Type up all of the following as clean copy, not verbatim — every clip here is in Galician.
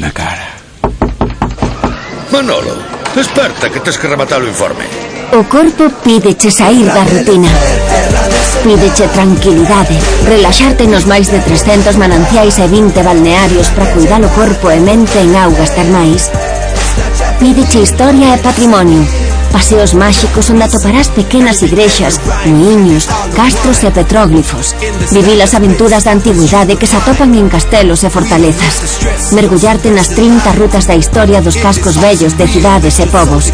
na cara. Manolo, desperta que tes que rematar o informe. O corpo pídeche sair da rutina. Pídeche tranquilidade, relaxarte nos máis de 300 mananciais e 20 balnearios para cuidar o corpo e mente en augas termais. Pídeche historia e patrimonio, paseos máxicos onde atoparás pequenas igrexas, muiños, castros e petróglifos. Vivir as aventuras da antigüidade que se atopan en castelos e fortalezas. Mergullarte nas 30 rutas da historia dos cascos vellos de cidades e povos.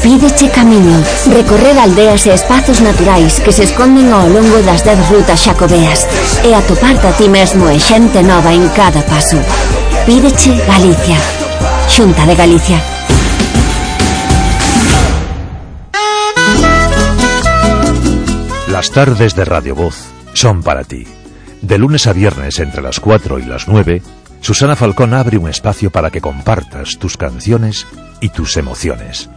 Pídeche camiño, recorrer aldeas e espazos naturais que se esconden ao longo das 10 rutas xacobeas e atoparte a ti mesmo e xente nova en cada paso. Pídeche Galicia. Xunta de Galicia. Las tardes de Radio Voz son para ti. De lunes a viernes entre las 4 y las 9, Susana Falcón abre un espacio para que compartas tus canciones y tus emociones.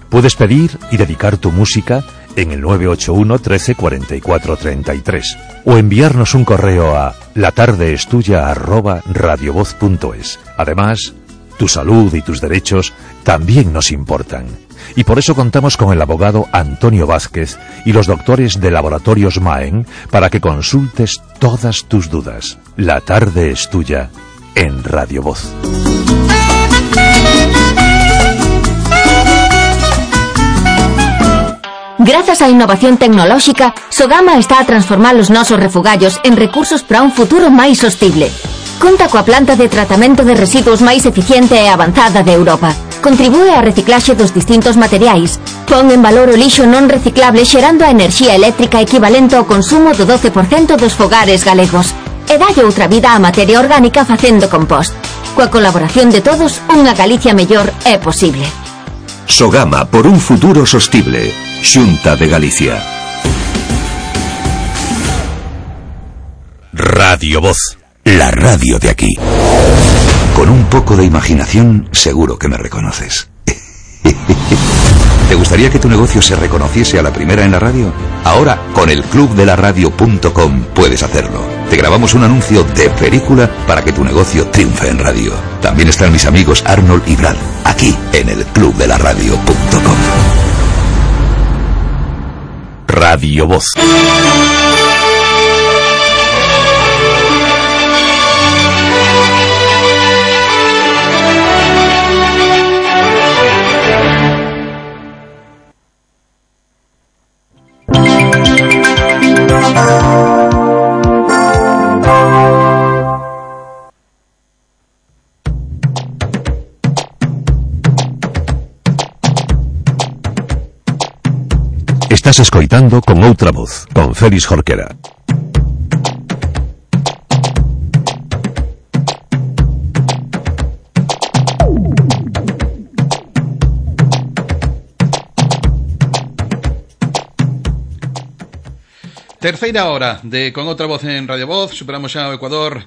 Puedes pedir y dedicar tu música en el 981 13 44 33 o enviarnos un correo a latardeestuya@radiovoz.es. Además, tu salud y tus derechos también nos importan. Y por eso contamos con el abogado Antonio Vázquez y los doctores de Laboratorios Maen para que consultes todas tus dudas. La tarde es tuya en Radio Voz. Grazas á innovación tecnolóxica, Sogama está a transformar os nosos refugallos en recursos para un futuro máis sostible. Conta coa planta de tratamento de residuos máis eficiente e avanzada de Europa. Contribúe á reciclaxe dos distintos materiais. Pon en valor o lixo non reciclable xerando a enerxía eléctrica equivalente ao consumo do 12% dos fogares galegos. E dalle outra vida á materia orgánica facendo compost. Coa colaboración de todos, unha Galicia mellor é posible. Sogama por un futuro sostible. Xunta de Galicia. Radio Voz. La radio de aquí. Con un poco de imaginación, seguro que me reconoces. ¿Te gustaría que tu negocio se reconociese a la primera en la radio? Ahora, con el clubdelaradio.com puedes hacerlo. Te grabamos un anuncio de película para que tu negocio triunfe en radio. También están mis amigos Arnold y Brad, aquí en el clubdelaradio.com. Radio Voz. Estás escoitando Con Outra Voz, con Félix Jorquera. Terceira hora de Con Outra Voz en Radio Voz. Superamos xa o Ecuador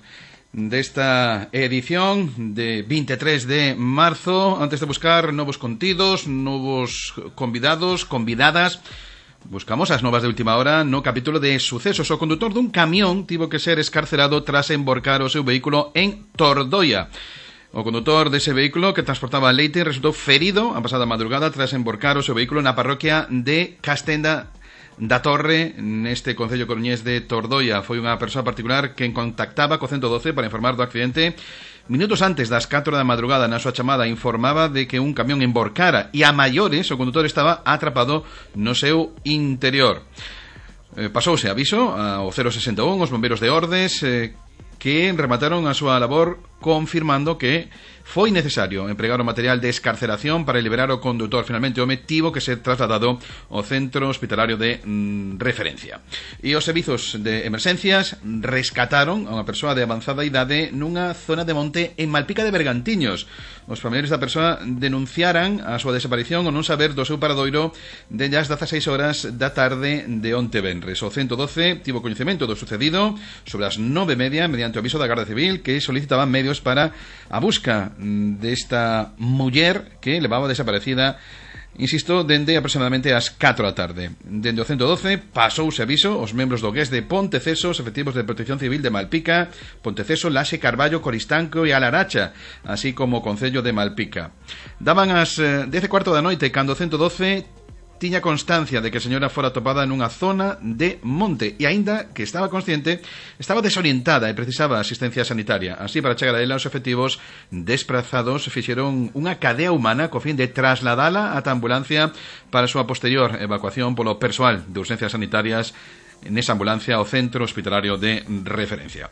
desta edición de 23 de marzo. Antes de buscar novos contidos, novos convidados, convidadas, buscamos as novas de última hora no capítulo de sucesos. O condutor dun camión tivo que ser escarcerado tras emborcar o seu vehículo en Tordoia. O condutor dese vehículo que transportaba leite resultou ferido a pasada madrugada tras emborcar o seu vehículo na parroquia de Castenda da Torre, neste concello coruñés de Tordoia. Foi unha persoa particular que contactaba co 112 para informar do accidente. Minutos antes das 4 da madrugada, na súa chamada informaba de que un camión emborcara e a maiores o condutor estaba atrapado no seu interior. Pasouse aviso ao 061 os bombeiros de Ordes que remataron a súa labor confirmando que foi necesario empregar o material de escarceración para liberar o condutor. Finalmente o home tivo que ser trasladado ao centro hospitalario de referencia. E os servizos de emerxencias rescataron a unha persoa de avanzada idade nunha zona de monte en Malpica de Bergantiños. Os familiares da persoa denunciaran a súa desaparición ou non saber do seu paradoiro desde as 16 horas da tarde de onte venres. O 112 tivo coñecemento do sucedido sobre as 9:30 mediante o aviso da Garda Civil que solicitaban medios para a busca desta muller que levaba desaparecida insisto, dende aproximadamente as 4 da tarde. Dende o 112 pasouse aviso os membros do GES de Ponteceso, os efectivos de Protección Civil de Malpica, Ponteceso, Laxe, Carballo, Coristanco e Alaracha, así como o Concello de Malpica. Daban as 10:15 da noite cando o 112 tiña constancia de que a señora fora topada nunha zona de monte e aínda que estaba consciente, estaba desorientada e precisaba asistencia sanitaria. Así, para chegar a ela, os efectivos desprazados fixeron unha cadea humana co fin de trasladala ata ambulancia para a súa posterior evacuación polo persoal de urxencias sanitarias nesa ambulancia ao centro hospitalario de referencia.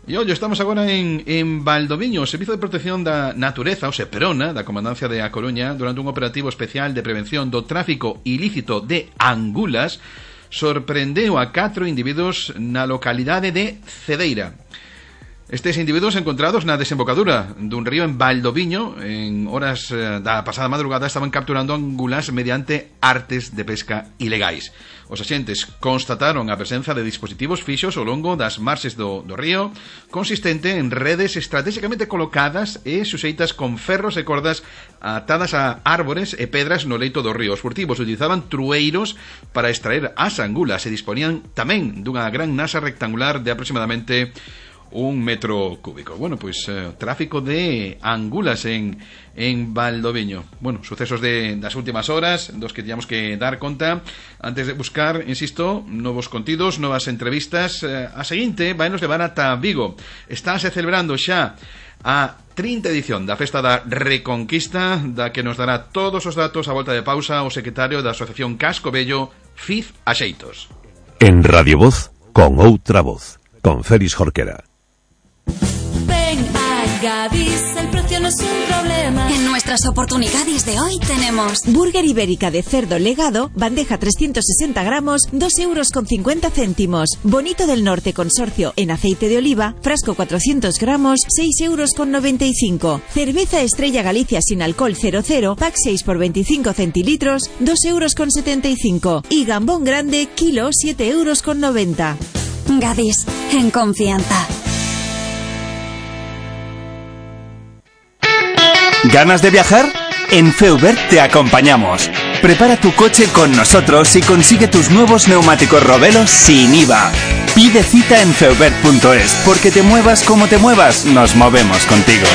E ollo, estamos agora en Valdoviño. O Servizo de Protección da Natureza, o SEPRONA, da Comandancia de A Coruña, durante un operativo especial de prevención do tráfico ilícito de angulas, sorprendeu a 4 individuos na localidade de Cedeira. Estes individuos encontrados na desembocadura dun río en Valdoviño, en horas da pasada madrugada, estaban capturando angulas mediante artes de pesca ilegais. Os axentes constataron a presenza de dispositivos fixos ao longo das marxes do río, consistente en redes estratégicamente colocadas e suxeitas con ferros e cordas atadas a árbores e pedras no leito do río. Os furtivos utilizaban trueiros para extraer as angulas e disponían tamén dunha gran nasa rectangular de aproximadamente 1 metro cúbico. Bueno, pues tráfico de angulas en Valdoviño. Bueno, sucesos das últimas horas dos que teníamos que dar conta antes de buscar, insisto, novos contidos, novas entrevistas. A seguinte vai nos levar ata Vigo. Estáse celebrando xa a 30 edición da Festa da Reconquista, da que nos dará todos os datos a volta de pausa o secretario da Asociación Casco Bello, Fiz Axeitos. En Radio Voz, con outra voz, con Félix Jorquera. Ven a Gadis, el precio no es un problema. En nuestras oportunidades de hoy tenemos burger ibérica de cerdo legado, bandeja 360 gramos, 2,50 €. Bonito del Norte consorcio en aceite de oliva, frasco 400 gramos, 6,95 €. Cerveza Estrella Galicia sin alcohol 00, pack 6 por 25 centilitros, 2,75 €. Y gambón grande, kilo, 7,90 €. Gadis, en confianza. ¿Ganas de viajar? En Feubert te acompañamos. Prepara tu coche con nosotros y consigue tus nuevos neumáticos Robelo sin IVA. Pide cita en feubert.es, porque te muevas como te muevas, nos movemos contigo.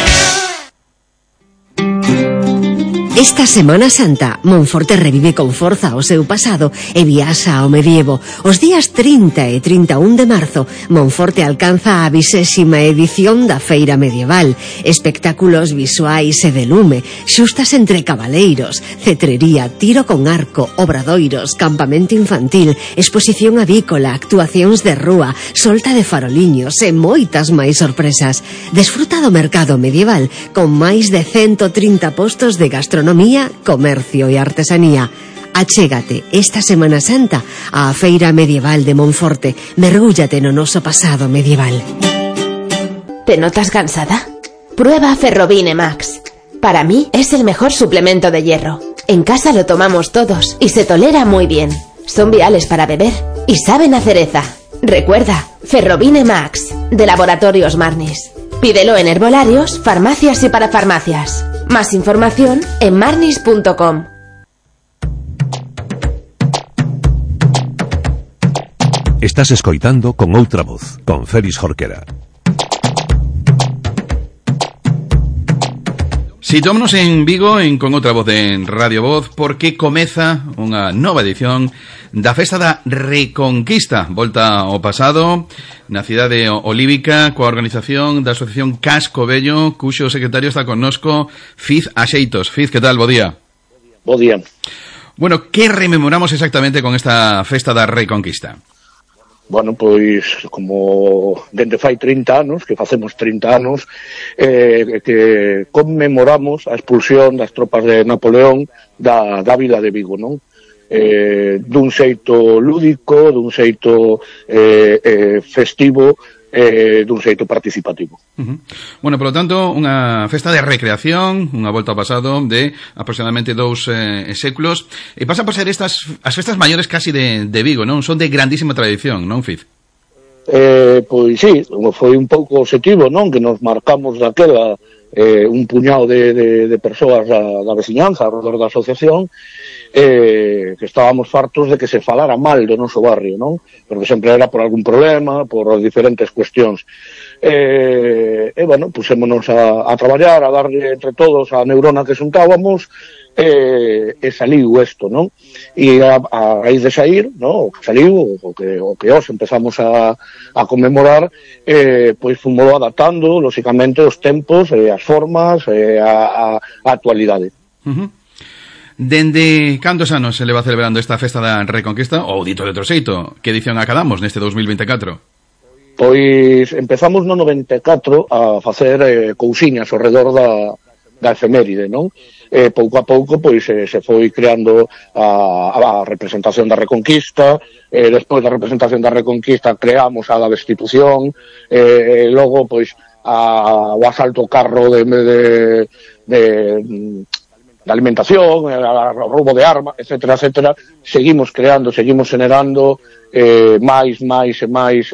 Esta Semana Santa, Monforte revive con forza o seu pasado e viaxa ao medievo. Os días 30 e 31 de marzo, Monforte alcanza a 20ª edición da Feira Medieval. Espectáculos visuais e de lume, xustas entre cabaleiros, cetrería, tiro con arco, obradoiros, campamento infantil, exposición avícola, actuacións de rúa, solta de faroliños e moitas máis sorpresas. Desfruta do mercado medieval con máis de 130 postos de gastronomía, comercio e artesanía. Achégate esta Semana Santa á Feira Medieval de Monforte. Mergúllate no noso pasado medieval. ¿Te notas cansada? Prueba Ferrobine Max. Para mí es el mejor suplemento de hierro. En casa lo tomamos todos y se tolera muy bien. Son viales para beber y saben a cereza. Recuerda, Ferrobine Max, de Laboratorios Marnis. Pídelo en herbolarios, farmacias y parafarmacias. Más información en marnis.com. Estás escoitando Con Outra Voz, con Félix Jorquera. Sitómonos en Vigo Con Outra Voz en Radio Voz, porque comeza unha nova edición da Festa da Reconquista, volta ao pasado na cidade olívica, coa organización da Asociación Casco Bello, cuxo secretario está connosco, Fiz Axeitos. Fiz, que tal? Bo día. Bo día. Bueno, que rememoramos exactamente con esta Festa da Reconquista? Bueno, pois, como dende fai 30 anos, que facemos 30 anos, que conmemoramos a expulsión das tropas de Napoleón da vila de Vigo, non? Dun xeito lúdico, dun xeito festivo, dun xeito participativo. Bueno, por lo tanto, unha festa de recreación, unha volta ao pasado de aproximadamente 2 séculos, e pasan por ser estas as festas maiores casi de Vigo, non? Son de grandísima tradición, non, Fiz? Pois sí, foi un pouco objetivo, non? Que nos marcamos daquela un puñado de persoas da veciñanza, alrededor da asociación, que estábamos fartos de que se falara mal do noso barrio, non? Porque sempre era por algún problema, por diferentes cuestións. Bueno, pusémonos a traballar, a darle entre todos a neurona que xuntábamos, e saliu isto, non? E a raíz de sair, non? O que saliu, o que os empezamos a conmemorar, pois fomos adaptando, lóxicamente, os tempos, as formas, a actualidade. Dende cantos anos se leva celebrando esta festa da Reconquista, ou dito de outro xeito, que edición acadamos neste 2024? Pois empezamos no 94 a facer cousiñas ao redor da efeméride, non? Pouco a pouco pois se foi creando a representación da Reconquista, despois da representación da Reconquista creamos a da Destitución, logo pois o asalto ao carro de alimentación, o roubo de armas, etcétera, etcétera. Seguimos creando, seguimos generando máis e máis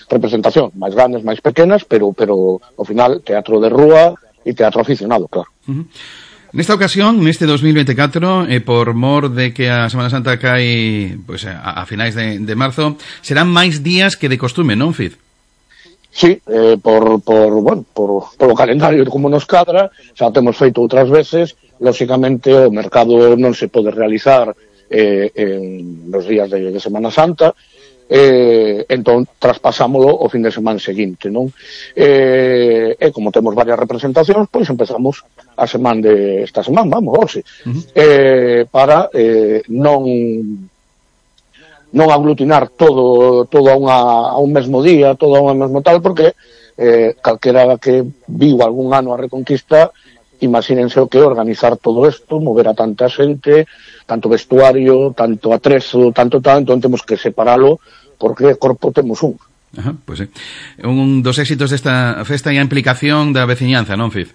representación, máis grandes, máis pequenas, pero ao final teatro de rúa e teatro aficionado, claro. Nesta ocasión, neste 2024, por mor de que a Semana Santa cae pois, a finais de marzo, serán máis días que de costume, non, Fid? Sí, por o calendario como nos cadra, xa temos feito outras veces, lóxicamente o mercado non se pode realizar en los días de Semana Santa, entón traspasámolo o fin de semana seguinte, non? E como temos varias representacións, pois empezamos esta semana, vamos, hoxe, para non aglutinar todo a un mesmo día, todo a un mesmo tal, porque calquera que viu algún ano a Reconquista, imagínense o que organizar todo isto, mover a tanta xente, tanto vestuario, tanto atrezo, tanto, entón temos que separalo, porque corpo temos un. Ajá, pois sí. Un dos éxitos desta festa e a implicación da veciñanza, non, Fid?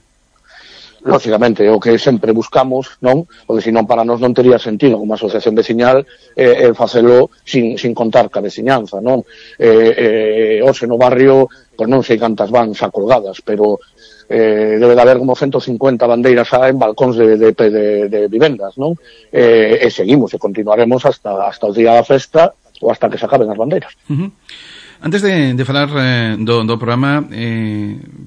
Lóxicamente, o que sempre buscamos, non? Porque senón para nós non tería sentido como asociación veciñal facelo sin contar ca veciñanza, non? Hoxe no barrio, pois non sei cantas van xa colgadas, pero debe de haber como 150 bandeiras xa en balcóns de vivendas, non? E seguimos e continuaremos hasta o día da festa ou hasta que se acaben as bandeiras. Antes de falar do programa,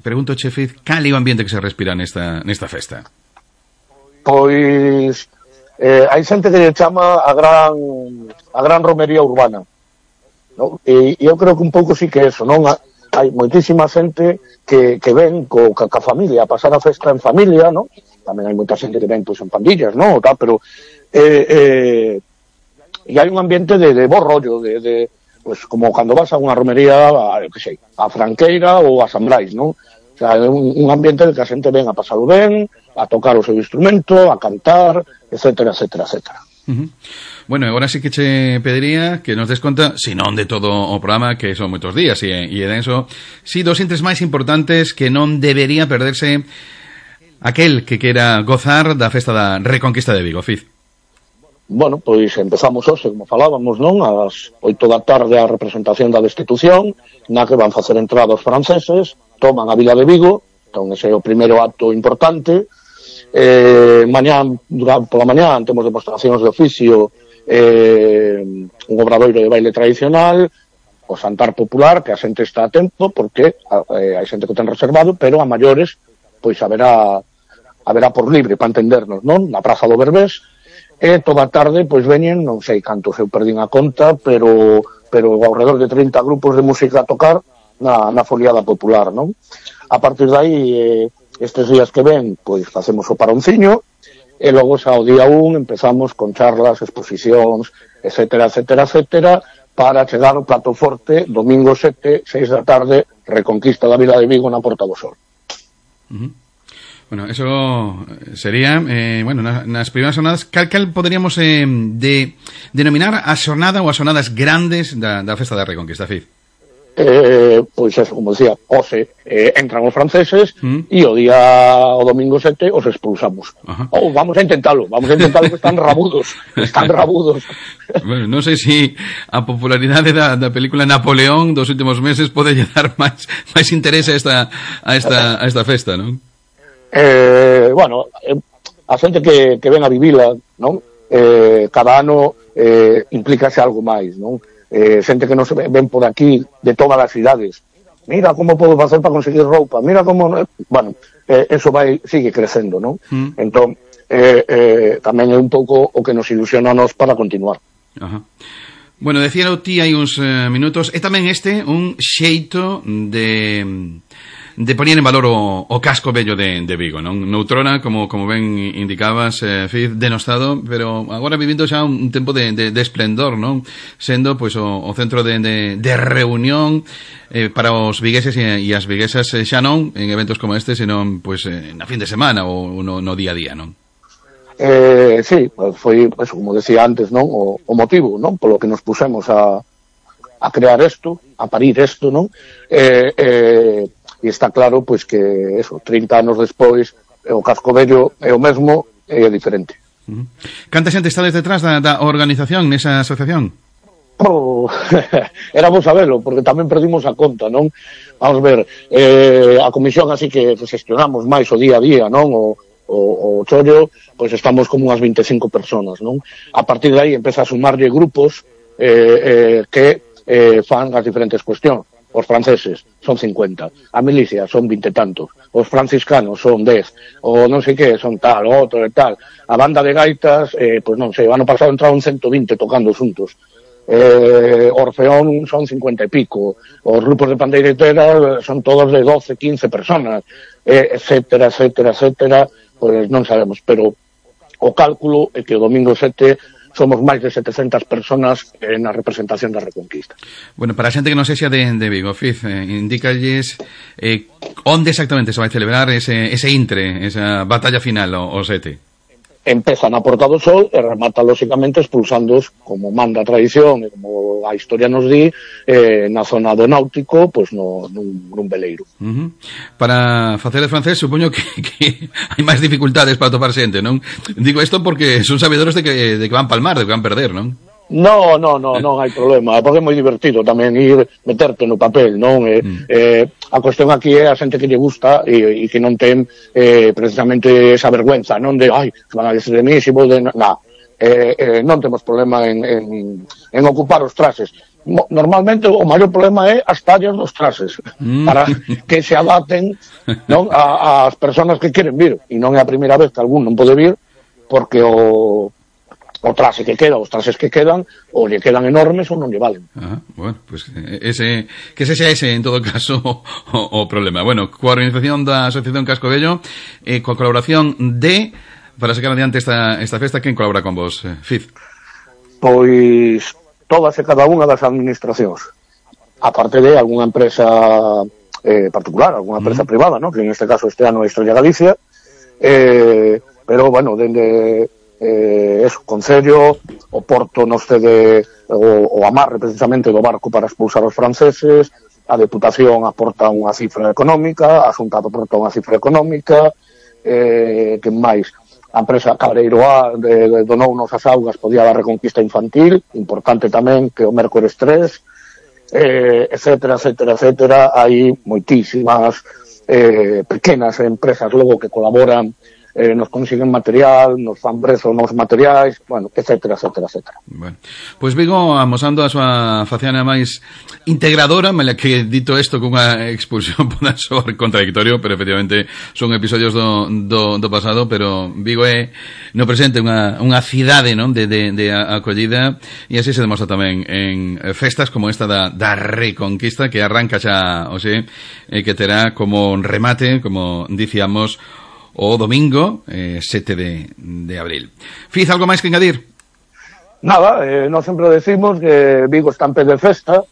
pregunto, Fid, cal é o ambiente que se respira nesta festa? Pois hai xente que chama a gran romería urbana, non? E eu creo que un pouco sí que eso, non? Hai moitísima xente que ven ca familia, a pasar a festa en familia, non? Tamén hai moita xente que ven pois en pandillas, non? Pero e hai un ambiente de bo rollo, pues como cando vas a unha romería, a Franqueira ou a San Brais, non? O sea, é un ambiente de que a xente ven a pasalo ben, a tocar o seu instrumento, a cantar, etcétera, etcétera, etcétera. Bueno, agora sí que che pediría que nos des conta, se non de todo o programa, que son moitos días, e denso, si dos intres máis importantes que non debería perderse aquel que quera gozar da festa da Reconquista de Vigo, Fid. Bueno, pois empezamos hoxe, como falábamos, non? Ás 8 da tarde a representación da Destitución, na que van facer entrada os franceses, toman a Vila de Vigo, entón ese é o primeiro acto importante. Pola mañá temos demostracións de oficio, un obradoiro de baile tradicional, o Santar Popular, que a xente está a tempo, porque hai xente que ten reservado, pero a maiores, pois haberá por libre, para entendernos, non? Na Praza do Berbés, e toda a tarde, pois veñen, non sei cantos eu perdín a conta, pero ao redor de 30 grupos de música a tocar na foliada popular, non? A partir de aí, estes días que ven, pois facemos o paronciño, e logo xa o día 1 empezamos con charlas, exposicións, etcétera, etcétera, etcétera, para chegar ao plato forte, domingo 6 da tarde, Reconquista da Vila de Vigo na Porta do Sol. Bueno, eso sería, nas primeiras jornadas, cal poderíamos denominar a xornada ou as xornadas grandes da festa da Reconquista, Fid? pois eso, como decía, hoxe entran os franceses e o domingo 7 os expulsamos. Ou vamos a intentalo que están rabudos. Bueno, non sei se a popularidade da película Napoleón dos últimos meses pode dar máis interés a esta festa, non? Bueno, a xente que ven a vivila, non? Cada ano implícase algo máis, non? Xente que nos ven por aquí de todas as cidades, mira como podo facer para conseguir roupa, mira como, bueno, eso sigue crecendo, non? Entón tamén é un pouco o que nos ilusiona a nos para continuar. Bueno, decía o ti hai uns minutos, e tamén un xeito de poñer en valor o casco vello de Vigo, non? Noutrona, como ben indicabas, Fiz, denostado, pero agora vivindo xa un tempo de esplendor, non? Sendo, pois, o centro de reunión para os vigueses e as viguesas, xa non en eventos como este, senón, pois, na fin de semana ou no día a día, non? Sí, foi, pues, como decía antes, non? O motivo, non? Polo que nos pusemos a crear isto, a parir isto, non? E está claro, pois, que eso, 30 anos despois, o casco vello é o mesmo e é diferente. Canta xente estades detrás da organización nesa asociación? Era vos sabelo, porque tamén perdimos a conta, non? Vamos ver, a comisión así que gestionamos máis o día a día, non? O chollo, pois estamos como unhas 25 personas, non? A partir de aí empeza a sumarlle grupos que fan as diferentes cuestións. Os franceses son 50, a milicia son 20 e tantos, os franciscanos son 10, o non sei que, son tal, o outro e tal, a banda de gaitas, pois non sei, o ano pasado entraron 120 tocando xuntos, Orfeón son 50 e pico, os grupos de pandeiretera son todos de 12, 15 personas, etcétera, pois non sabemos, pero o cálculo é que o domingo 7 somos máis de 700 personas na representación da Reconquista. Bueno, para a xente que non sexa de Vigo, Fiz, indícalles onde exactamente se vai celebrar ese intre, esa batalla final, o 7. Empeza na Porta do Sol e remata, lóxicamente, expulsándoos, como manda a tradición e como a historia nos di, na zona do náutico, pois nun veleiro. Para facer de francés, supoño que hai máis dificultades para topar xente, non? Digo isto porque son sabedores de que van palmar, de que van perder, non? Non hai problema, porque é moi divertido tamén ir meterte no papel, non? A cuestión aquí é a xente que lle gusta e que non ten precisamente esa vergüenza, non? De, van a decir de mí, si vou de... non temos problema en ocupar os traxes. Normalmente o maior problema é as tallas dos traxes, para que se adapten, non? As persoas que queren vir, e non é a primeira vez que algún non pode vir, porque o traxe que queda, os traxes que quedan, ou lle quedan enormes ou non lle valen. Bueno, pues que ese sea ese, en todo caso, o problema. Bueno, coa organización da Asociación Casco Vello, coa colaboración para sacar adiante esta festa, quen colabora con vos, Fiz? Pois todas e cada unha das administracións. Aparte de algunha empresa particular, algunha empresa privada, ¿no? Que en este caso este ano é Estrella Galicia, pero, bueno, dende... eso, Concello, o Porto nos cede o amarre precisamente do barco para expulsar os franceses, a Deputación aporta unha cifra económica, a Xunta aporta unha cifra económica, que máis, a empresa Cabreiro A donounos as augas podía da Reconquista Infantil, importante tamén que o Mércores 3, etcétera, hai moitísimas pequenas empresas logo que colaboran, nos consiguen material, nos fan prezo nos materiais, bueno, etcétera. Bueno, pois Vigo amosando a súa faciana máis integradora, mala que dito isto cunha expulsión poda soar contradictorio, pero efectivamente son episodios do pasado, pero Vigo é no presente unha cidade, non, de acollida, e así se demostra tamén en festas como esta da Reconquista, que arranca xa, que terá como remate, como dicíamos, o domingo 7 de abril. Fiz, algo máis que engadir? Nada, nós sempre decimos que Vigo está en pé de festa,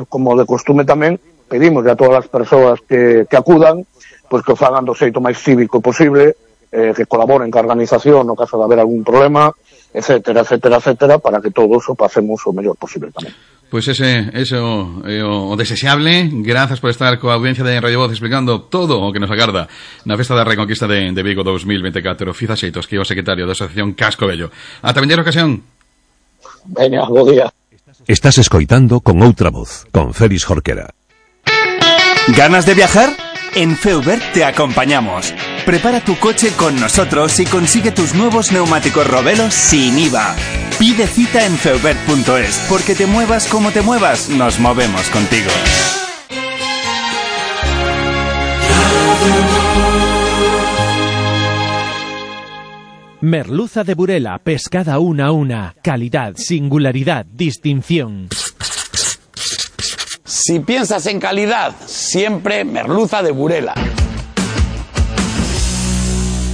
como de costume tamén, pedimos a todas as persoas que acudan, pois que o fagan do xeito máis cívico posible, que colaboren ca organización no caso de haber algún problema, etcétera, para que todos o pasemos o mellor posible tamén. Pois ese o desexable. Grazas por estar coa audiencia de Radio Voz explicando todo o que nos agarda na Festa da Reconquista de Vigo 2024. Fiza Xeitos, que é o secretario da Asociación Casco Bello. Ata vindeira ocasión. Veña, bo día. Estás escoitando Con Outra Voz, con Félix Jorquera. ¿Ganas de viajar? En Feubert te acompañamos. Prepara tu coche con nosotros y consigue tus nuevos neumáticos Robelos sin IVA. Pide cita en feubert.es, porque te muevas como te muevas, nos movemos contigo. Merluza de Burela, pescada una a una. Calidad, singularidad, distinción. Si piensas en calidad, siempre Merluza de Burela.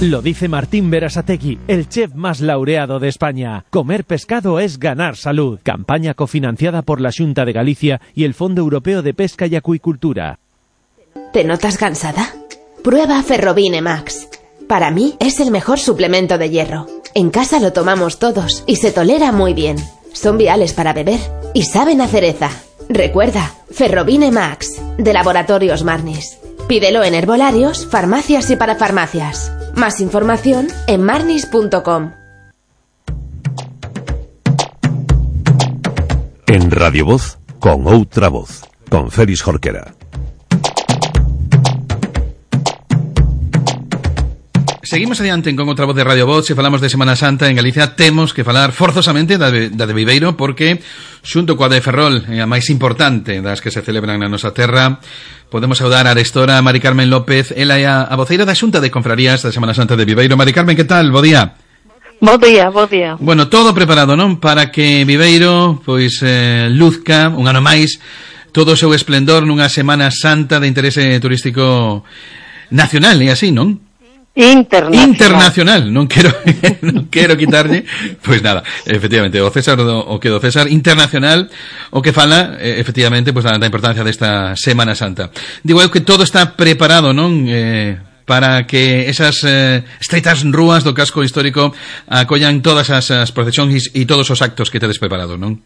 Lo dice Martín Berasategui, el chef más laureado de España. Comer pescado es ganar salud. Campaña cofinanciada por la Xunta de Galicia y el Fondo Europeo de Pesca y Acuicultura. ¿Te notas cansada? Prueba Ferrobine Max. Para mí es el mejor suplemento de hierro. En casa lo tomamos todos y se tolera muy bien. Son viales para beber y saben a cereza. Recuerda, Ferrobine Max, de Laboratorios Marnis. Pídelo en herbolarios, farmacias y parafarmacias. Más información en marnis.com. En Radio Voz, Con Outra Voz, con Félix Jorquera. Seguimos adiante Con Outra Voz de Radio Voz. Se falamos de Semana Santa en Galicia, temos que falar forzosamente da de Viveiro, porque xunto coa de Ferrol, a máis importante das que se celebran na nosa terra, podemos saudar a arestora Mari Carmen López. Ela é a voceira da Xunta de Confrarías da Semana Santa de Viveiro. Mari Carmen, que tal? Bo día. Bo día, bo día. Bueno, todo preparado, non? Para que Viveiro, pois, luzca un ano máis todo o seu esplendor nunha Semana Santa de interese turístico nacional, e así, non? Internacional, non quero quitarlle, pois nada, efectivamente, o César o que do César, internacional, o que fala, efectivamente, pois da importancia desta Semana Santa. Digo eu que todo está preparado, non? Para que esas estreitas rúas do casco histórico acollan todas as procesións e todos os actos que tedes preparados, non?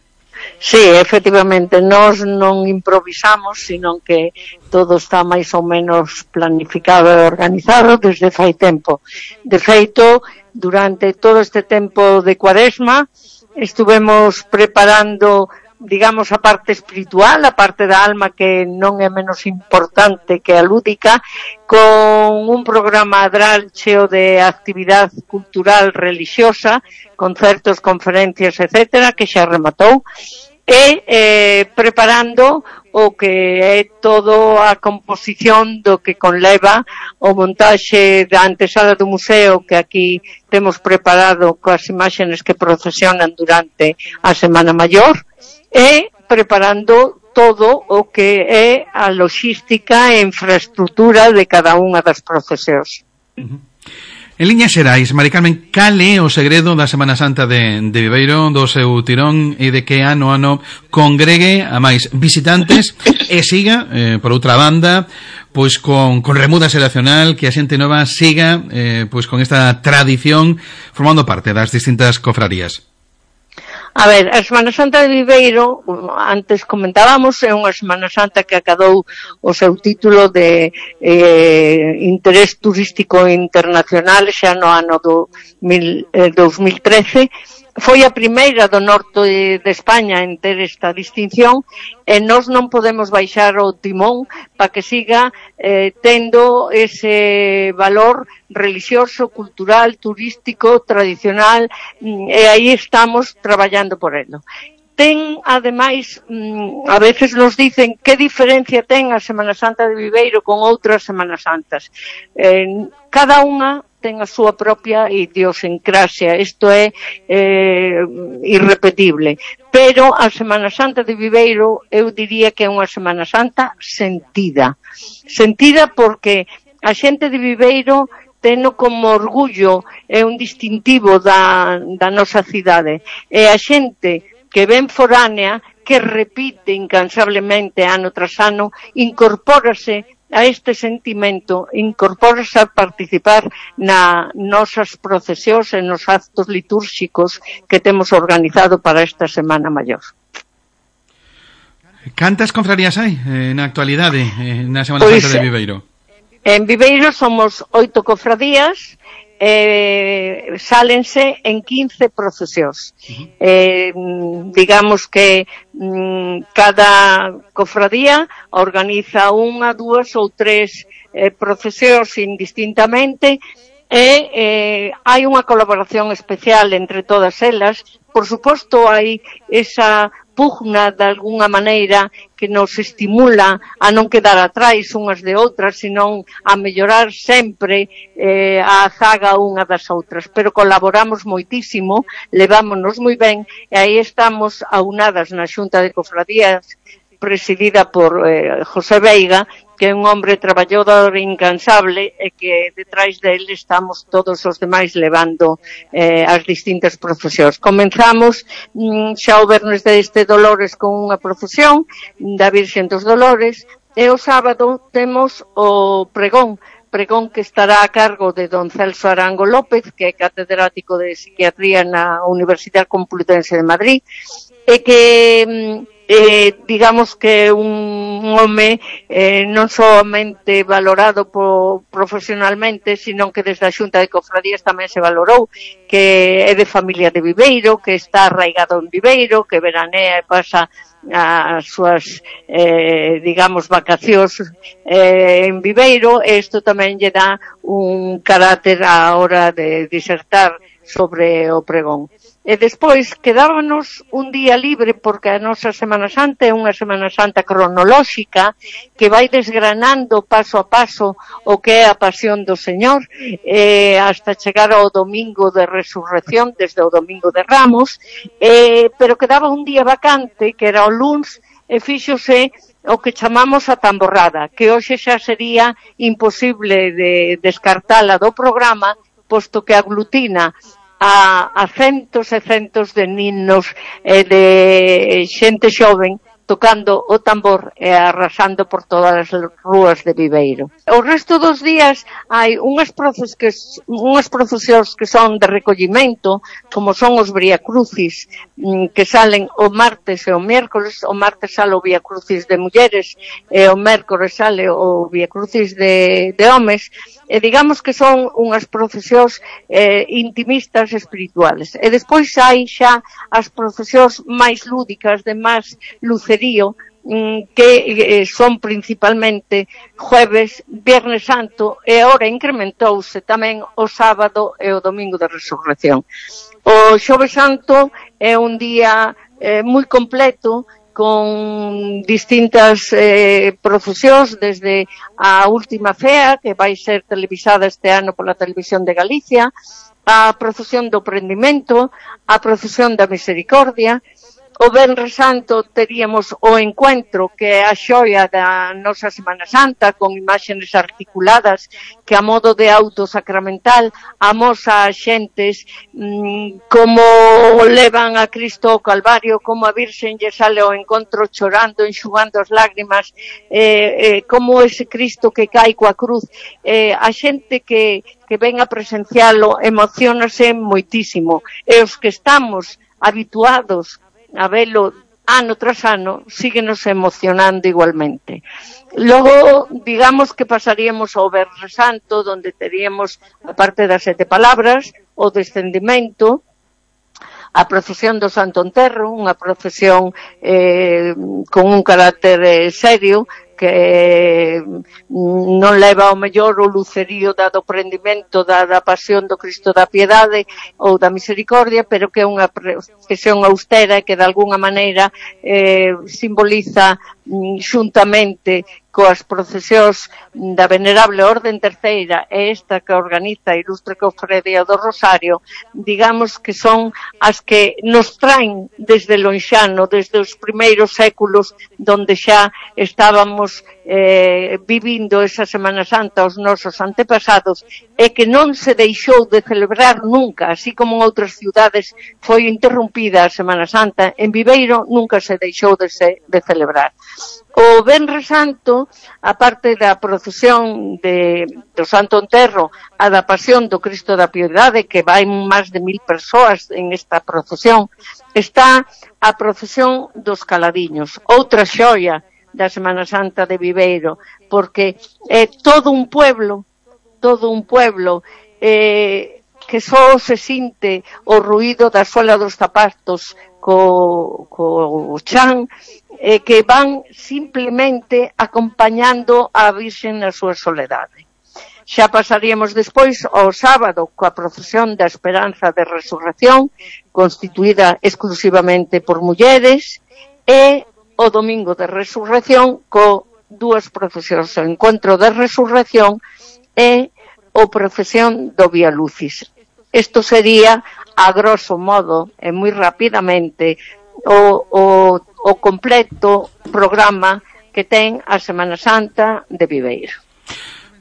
Sí, efectivamente, nós non improvisamos, sino que todo está máis ou menos planificado e organizado desde fai tempo. De feito, durante todo este tempo de Cuaresma, estuvemos preparando, digamos, a parte espiritual, a parte da alma, que non é menos importante que a lúdica, con un programa adral cheo de actividade cultural religiosa, concertos, conferencias, etcétera, que xa rematou, e preparando o que é todo a composición do que conleva o montaxe da antesala do museo, que aquí temos preparado coas imaxes que procesionan durante a Semana Maior, e preparando todo o que é a logística e infraestructura de cada unha das procesións. En liñas xerais, Mari Carmen, cal é o segredo da Semana Santa de Viveiro, do seu tirón, e de que ano a ano congregue a máis visitantes e siga, por outra banda, pois con remuda xeracional, que a xente nova siga pois con esta tradición formando parte das distintas cofrarías? A ver, a Semana Santa de Viveiro, antes comentábamos, é unha Semana Santa que acadou o seu título de interés turístico internacional xa no ano 2013. Foi a primeira do norte de España en ter esta distinción, e nós non podemos baixar o timón para que siga tendo ese valor religioso, cultural, turístico, tradicional, e aí estamos traballando por ello. Ten, ademais, a veces nos dicen que diferencia ten a Semana Santa de Viveiro con outras Semanas Santas. Cada unha ten a súa propia idiosincrasia, isto é irrepetible. Pero a Semana Santa de Viveiro eu diría que é unha Semana Santa sentida. Sentida porque a xente de Viveiro teno como orgullo, é un distintivo da nosa cidade. E a xente que ven foránea, que repite incansablemente ano tras ano, incorpórase a este sentimento, incorpórase a participar na nosas procesións e nos actos litúrxicos que temos organizado para esta Semana Maior. Cantas confrarías hai na actualidade na Semana Santa de Viveiro? En Viveiro somos 8 cofradías, sálense en 15 procesións. Digamos que cada cofradía organiza 1, 2 ou 3 procesións indistintamente e hai unha colaboración especial entre todas elas. Por suposto, hai esa pugna de alguna maneira que nos estimula a non quedar atrás unhas de outras, senón a mellorar sempre a zaga unha das outras. Pero colaboramos moitísimo, levámonos moi ben, e aí estamos aunadas na Xunta de Cofradías, presidida por José Veiga, que é un hombre traballador incansable e que detrás dele estamos todos os demais levando as distintas procesións. Comenzamos xa o Vernes deste Dolores con unha procesión da Virxen dos Dolores e o sábado temos o pregón que estará a cargo de don Celso Arango López, que é catedrático de Psiquiatría na Universidade Complutense de Madrid, e que digamos que un home non somente valorado profesionalmente, sino que desde a Xunta de Cofradías tamén se valorou, que é de familia de Viveiro, que está arraigado en Viveiro, que veranea e pasa as súas, digamos, vacacións en Viveiro. Isto tamén lle dá un carácter á hora de disertar sobre o pregón. E despois quedábanos un día libre porque a nosa Semana Santa é unha Semana Santa cronolóxica que vai desgranando paso a paso o que é a pasión do Señor hasta chegar ao domingo de resurrección, desde o domingo de Ramos, pero quedaba un día vacante que era o luns e fíxose o que chamamos a tamborrada, que hoxe xa sería imposible de descartala do programa, posto que aglutina a centos e centos de ninos e de xente xoven tocando o tambor e arrasando por todas as rúas de Viveiro. O resto dos días hai unhas procesións que son de recollimento, como son os Viacrucis, que salen o martes e o miércoles. O martes sale o Viacrucis de mulleres e o miércoles sale o Viacrucis de homes, e digamos que son unhas procesións intimistas espirituales. E despois hai xa as procesións máis lúdicas, de máis lucerío, que son principalmente jueves, Viernes Santo, e agora incrementouse tamén o sábado e o domingo de resurrección. O Xoves Santo é un día moi completo, con distintas procesións, desde a última fea, que vai ser televisada este ano pola Televisión de Galicia, a procesión do prendimento, a procesión da misericordia. O Venres Santo teríamos o encuentro, que é a xoia da nosa Semana Santa, con imaxes articuladas que a modo de auto sacramental amosa a xentes como levan a Cristo ao Calvario, como a Virxen lle sale ao encontro chorando, enxugando as lágrimas, como ese Cristo que cae coa cruz. A xente que ven a presencialo emocionase moitísimo, e os que estamos habituados a velo ano tras ano, síguenos emocionando igualmente. Logo, digamos que pasaríamos ao Venres Santo, donde teríamos, a parte das 7 palabras, o descendimento, a procesión do Santo Enterro, unha procesión con un carácter serio, que non leva ao mellor o lucerío do prendimento da pasión do Cristo da Piedade ou da Misericordia, pero que é unha procesión austera e que de alguna maneira simboliza xuntamente coas procesións da Venerable Orden Terceira e esta que organiza a Ilustre Cofradía do Rosario, digamos que son as que nos traen desde lonxano, desde os primeiros séculos, donde xa estábamos fomos vivindo esa Semana Santa os nosos antepasados é que non se deixou de celebrar nunca, así como en outras ciudades foi interrompida a Semana Santa, en Viveiro nunca se deixou de celebrar. O Venres Santo, aparte da procesión do Santo Enterro, a da Pasión do Cristo da Piedade, que vai máis de 1000 persoas en esta procesión, está a procesión dos Caladiños, outra xoia da Semana Santa de Viveiro, porque é todo un pueblo que só se sinte o ruído da suela dos zapatos co chan, que van simplemente acompañando a Virxen na súa soledade. Xa pasaríamos despois ao sábado coa procesión da Esperanza de Resurrección, constituída exclusivamente por mulleres, e o domingo de Resurrección co dúas procesións, o Encontro de Resurrección e o procesión do Vía Lucis. Isto sería, a grosso modo, e moi rapidamente, o completo programa que ten a Semana Santa de Viveiro.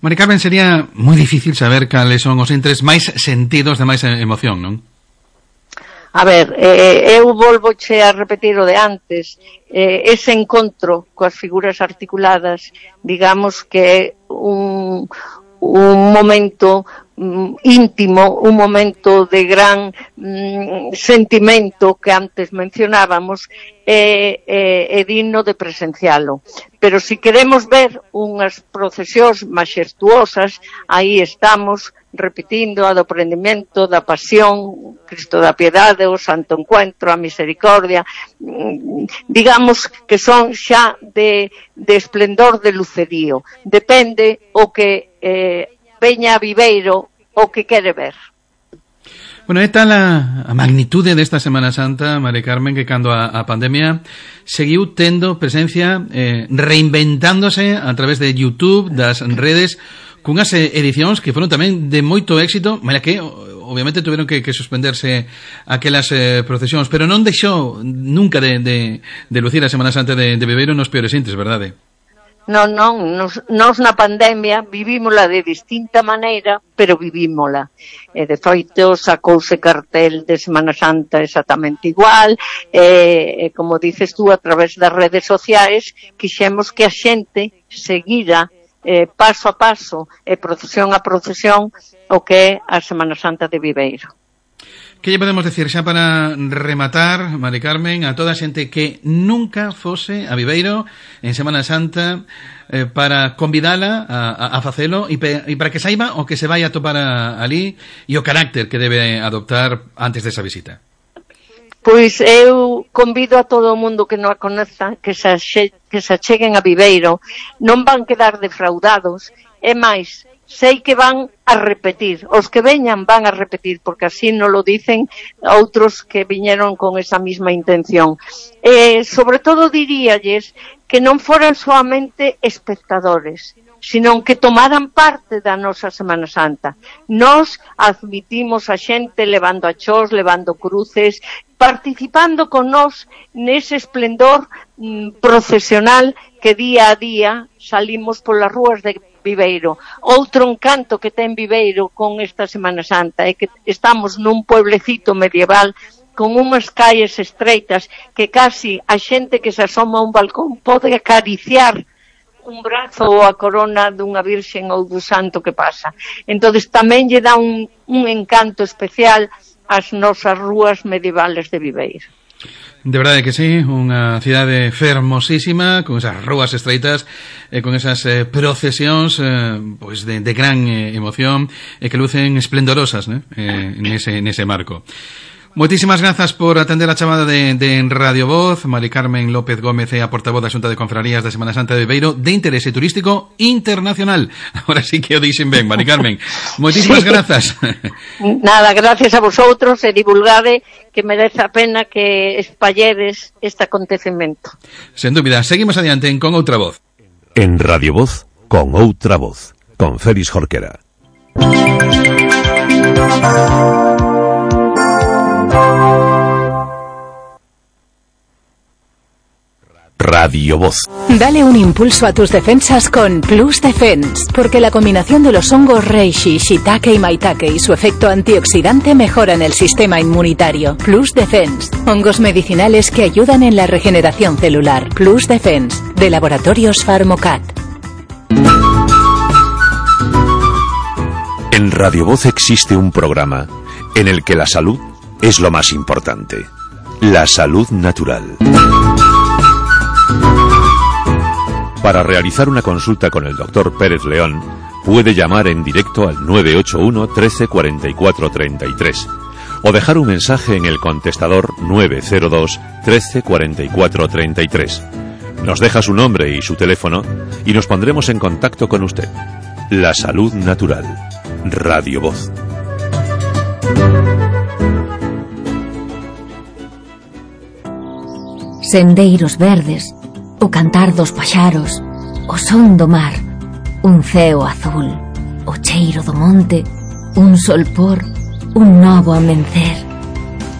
Mari Carmen, sería moi difícil saber cales son os entres máis sentidos de máis emoción, non? A ver, eu volvoche a repetir o de antes, ese encontro coas figuras articuladas, digamos que é un momento íntimo, un momento de gran sentimento que antes mencionábamos, é digno de presencialo. Pero si queremos ver unhas procesións maxestuosas, aí estamos repetindo a do prendimento, da Pasión, Cristo da Piedade, o Santo Encuentro, a Misericordia, digamos que son xa de esplendor de lucedío. Depende o que veña a Viveiro o que quere ver. Bueno, é tal a magnitude desta Semana Santa, Mari Carmen, que cando a pandemia seguiu tendo presencia, reinventándose a través de YouTube, das redes, cunhas edicións que foron tamén de moito éxito, malia que obviamente tuveron que suspenderse aquelas procesións, pero non deixou nunca de lucir a Semana Santa de Viveiro nos peores intres, verdade? Non, nos na pandemia vivímola de distinta maneira, pero vivímola. De feito, sacouse cartel de Semana Santa exactamente igual, como dices tú, a través das redes sociais, quixemos que a xente seguira paso a paso, procesión a procesión, o que é a Semana Santa de Viveiro. Que lle podemos decir xa para rematar, Mari Carmen, a toda a xente que nunca fose a Viveiro en Semana Santa, para convidala a facelo e para que saiba o que se vai a topar ali e o carácter que debe adoptar antes desa visita? Pois eu convido a todo o mundo que non a coneza que se acheguen a Viveiro, non van quedar defraudados, e máis, sei que van a repetir, os que veñan van a repetir, porque así non lo dicen outros que viñeron con esa misma intención. Sobre todo diríalles que non foran soamente espectadores, sino que tomaran parte da nosa Semana Santa. Nos admitimos a xente levando achós, levando cruces, participando con nós nese esplendor procesional que día a día salimos polas rúas de Viveiro. Outro encanto que ten Viveiro con esta Semana Santa é que estamos nun pueblecito medieval con unhas calles estreitas que casi a xente que se asoma a un balcón pode acariciar un brazo ou a corona dunha virxen ou do santo que pasa. Entonces tamén lle dá un encanto especial ás nosas rúas medievales de Viveiro. De verdade que sí, unha cidade fermosísima, con esas rúas estreitas, con esas procesións pois de gran emoción, e que lucen esplendorosas, nese marco. Moitísimas grazas por atender a chamada de Radio Voz. Mari Carmen López Gómez é a portavoz da Xunta de Confrarías da Semana Santa de Viveiro de interese turístico internacional. Ahora sí que o dixen ben, Mari Carmen. Moitísimas grazas. Nada, gracias a vosotros, e divulgade que merece a pena que espalledes este acontecemento. Sen dúbida, seguimos adiante con outra voz. En Radio Voz, con outra voz, con Félix Jorquera. Radio Voz. Dale un impulso a tus defensas con Plus Defense, porque la combinación de los hongos reishi, shiitake y maitake y su efecto antioxidante mejoran el sistema inmunitario. Plus Defense, hongos medicinales que ayudan en la regeneración celular. Plus Defense, de Laboratorios Pharmocat. En Radio Voz existe un programa en el que la salud es lo más importante. La salud natural. Para realizar una consulta con el Dr. Pérez León, puede llamar en directo al 981 13 44 33 o dejar un mensaje en el contestador 902 13 44 33. Nos deja su nombre y su teléfono y nos pondremos en contacto con usted. La salud natural. Radio Voz. Sendeiros verdes, o cantar dos paxaros, o son do mar, un ceo azul, o cheiro do monte, un solpor, un novo amencer.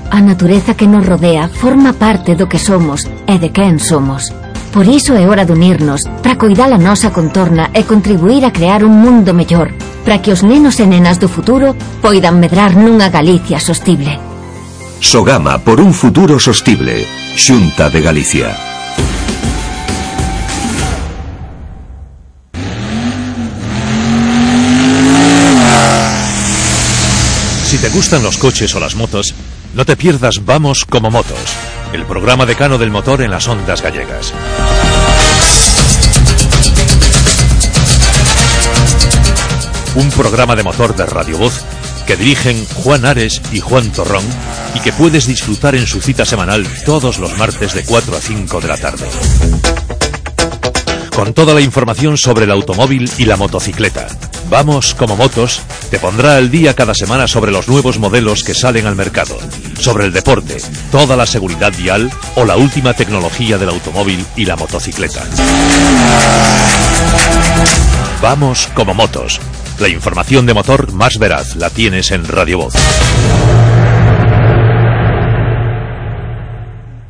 A natureza que nos rodea forma parte do que somos e de quen somos. Por iso é hora de unirnos para coidar a nosa contorna e contribuir a crear un mundo mellor, para que os nenos e nenas do futuro poidan medrar nunha Galicia sostible. Sogama por un futuro sostible. Xunta de Galicia. Si te gustan los coches o las motos, no te pierdas Vamos como Motos, el programa decano del motor en las ondas gallegas. Un programa de motor de Radio Voz que dirigen Juan Ares y Juan Torrón y que puedes disfrutar en su cita semanal todos los martes de 4 a 5 de la tarde. Con toda la información sobre el automóvil y la motocicleta. Vamos como Motos te pondrá al día cada semana sobre los nuevos modelos que salen al mercado, sobre el deporte, toda la seguridad vial o la última tecnología del automóvil y la motocicleta. Vamos como Motos. La información de motor más veraz la tienes en Radio Voz.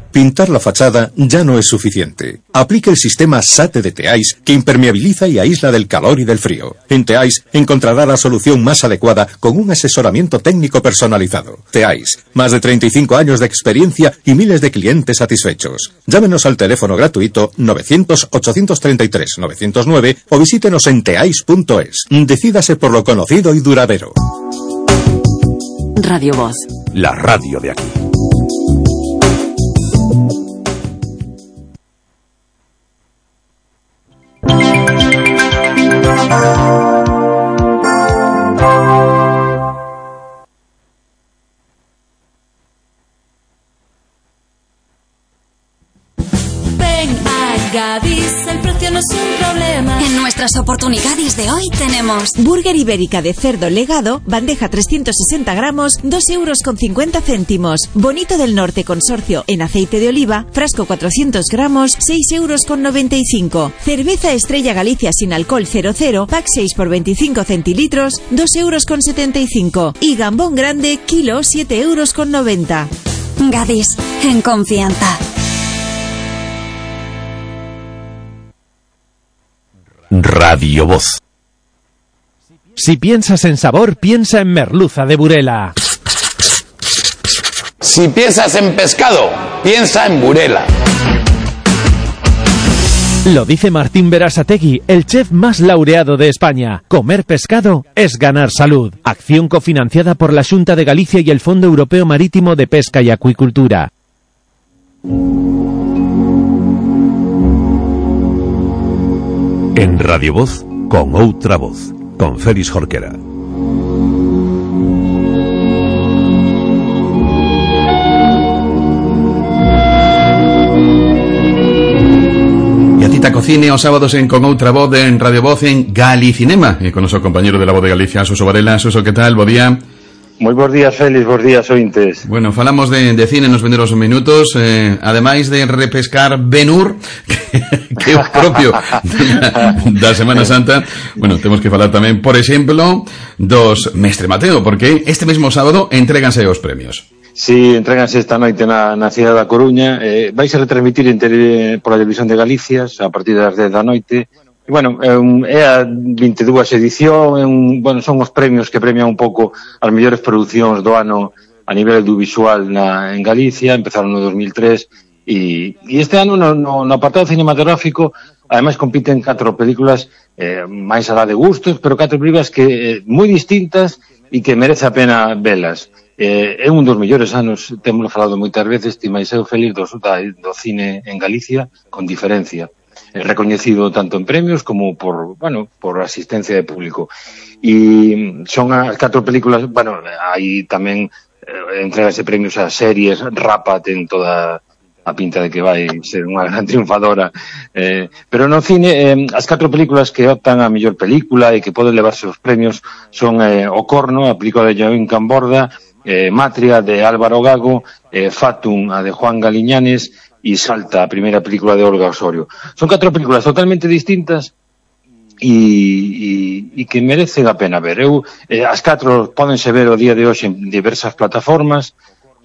Pintar la fachada ya no es suficiente. Aplique el sistema SATE de Teais que impermeabiliza y aísla del calor y del frío. En Teais encontrará la solución más adecuada con un asesoramiento técnico personalizado. Teais, más de 35 años de experiencia y miles de clientes satisfechos. Llámenos al teléfono gratuito 900-833-909 o visítenos en teais.es. Decídase por lo conocido y duradero. Radio Voz. La radio de aquí. Gadis, el precio no es un problema. En nuestras oportunidades de hoy tenemos burger ibérica de cerdo legado, bandeja 360 gramos, 2,50 €. Bonito del Norte Consorcio en aceite de oliva, frasco 400 gramos, 6,95 €. Cerveza Estrella Galicia sin alcohol 00, pack 6 por 25 centilitros, 2,75 €. Y gambón grande, kilo, 7,90 €. Gadis, en confianza. Radio Voz. Si piensas en sabor, piensa en merluza de Burela. Si piensas en pescado, piensa en Burela. Lo dice Martín Berasategui, el chef más laureado de España. Comer pescado es ganar salud. Acción cofinanciada por la Xunta de Galicia y el Fondo Europeo Marítimo de Pesca y Acuicultura. En Radio Voz, con outra voz, con Félix Jorquera. E a cita cocine os sábados en Con outra voz en Radio Voz en Galicinema. E con noso compañero de la Voz de Galicia, Suso Varela. Suso, que tal? Bo día. Moi bons días, Félix, bons días, ointes. Bueno, falamos de cine nos venderos minutos, ademais de repescar Ben-Hur, que é o propio da Semana Santa. Bueno, temos que falar tamén, por exemplo, dos Mestre Mateo, porque este mesmo sábado entréganse os premios. Sí, entréganse esta noite na cidade da Coruña. Vais a retransmitir pola televisión de Galicia a partir das 10 da noite. E, bueno, é a 22 edición, bueno, son os premios que premian un pouco as mellores producións do ano a nivel audiovisual en Galicia. Empezaron no 2003 e este ano no apartado cinematográfico ademais compiten 4 películas máis alá de gustos, pero 4 películas que moi distintas e que merece a pena velas. É un dos mellores anos, temos falado moitas veces, ti máis eu feliz do cine en Galicia, con diferencia. Recoñecido tanto en premios como por asistencia de público. E son as 4 películas, bueno, aí tamén entregase premios a series. Rapa ten toda a pinta de que vai ser unha gran triunfadora, pero no cine as 4 películas que optan a mellor película e que poden levarse os premios son O Corno, a película de Joaquín Camborda, Matria, de Álvaro Gago, Fatum, a de Juan Galiñanes, e Salta, a primeira película de Olga Osorio. Son 4 películas totalmente distintas e que merecen a pena ver. As 4 pódense ver o día de hoxe en diversas plataformas.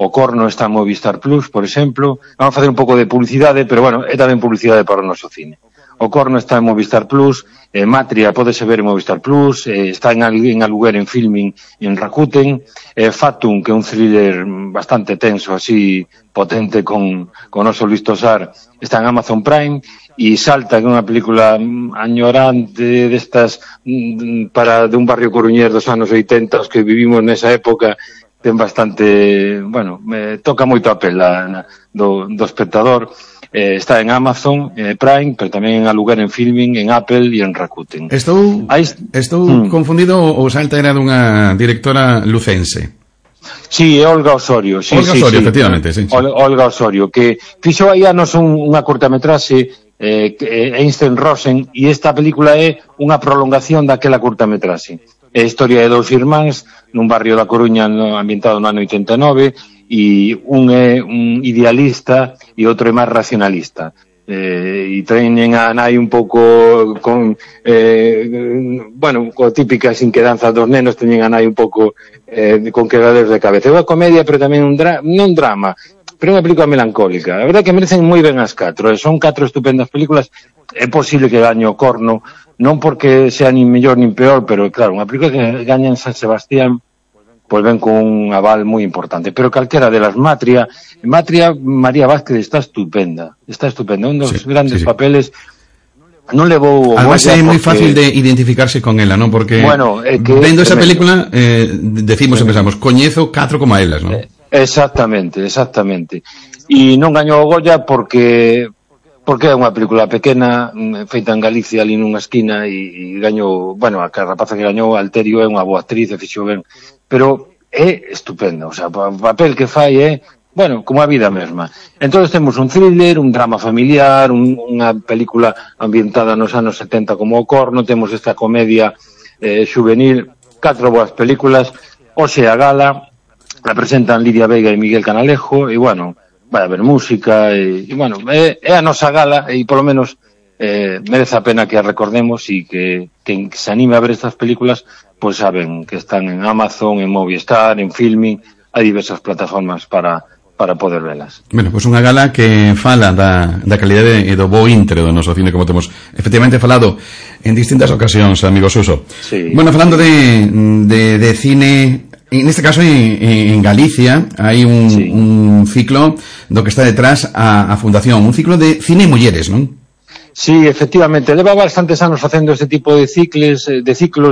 O Corno está en Movistar Plus, por exemplo. Vamos a facer un pouco de publicidade, pero bueno, é tamén publicidade para o noso cine. O Corno está en Movistar Plus, Matria pódese ver en Movistar Plus, está en aluguer en Filmin en Rakuten, Fatum, que é un thriller bastante tenso, así potente con o noso Luis Tosar, está en Amazon Prime, e Salta, que é unha película añorante destas de un barrio coruñés dos anos 80, os que vivimos nesa época, ten bastante, bueno, toca moito a pela do espectador. Está en Amazon Prime, pero tamén en aluguer en Filmin, en Apple e en Rakuten. Estou confundido, o Salta era dunha directora lucense. Sí, é Olga Osorio. Olga Osorio, efectivamente, sí. Olga Osorio, que fixo aí anos unha cortametraxe, Einstein Rosen, e esta película é unha prolongación daquela cortametraxe. É a historia de 2 irmáns nun barrio da Coruña ambientado no ano 89, e un é un idealista e outro é máis racionalista. E teñen a nai un pouco con típicas inquedanzas dos nenos, teñen a nai un pouco con quedaderos de cabeza. É unha comedia, pero tamén non drama, pero é unha película melancólica. A verdade que merecen moi ben as 4, son 4 estupendas películas. É posible que gañe O Corno, non porque sea nin mellor nin peor, pero claro, unha película que gaña en San Sebastián pois ven con un aval moi importante, pero calquera delas. Matria, María Vázquez está estupenda, un dos grandes papeles. Non levou o Goya. Además é moi fácil de identificarse con ela, non? Porque vendo esa película decimos e pensamos, coñezo 4 como a elas, non? Exactamente. E non gañou o Goya porque é unha película pequena, feita en Galicia, ali nunha esquina, e gañou, a rapaza que gañou, Alterio, é unha boa actriz, e fixo ben, pero é estupenda, o sea, o papel que fai é, como a vida mesma. Entón temos un thriller, un drama familiar, unha película ambientada nos anos 70 como O Corno, temos esta comedia juvenil, 4 boas películas. Hoxe a gala la presentan Lidia Veiga e Miguel Canalejo, e vai haber música, e é a nosa gala, e polo menos merece a pena que a recordemos, e que quen se anime a ver estas películas, pois saben que están en Amazon, en Movistar, en Filmin, hai diversas plataformas para poder velas. Pois unha gala que fala da calidade e do bo intre do noso cine, como temos efectivamente falado en distintas ocasións, amigo Suso. Sí. Falando de cine, en este caso en Galicia hai un ciclo do que está detrás a Fundación, un ciclo de cine e mulleres, non? Sí, efectivamente, leva bastantes anos facendo este tipo de ciclos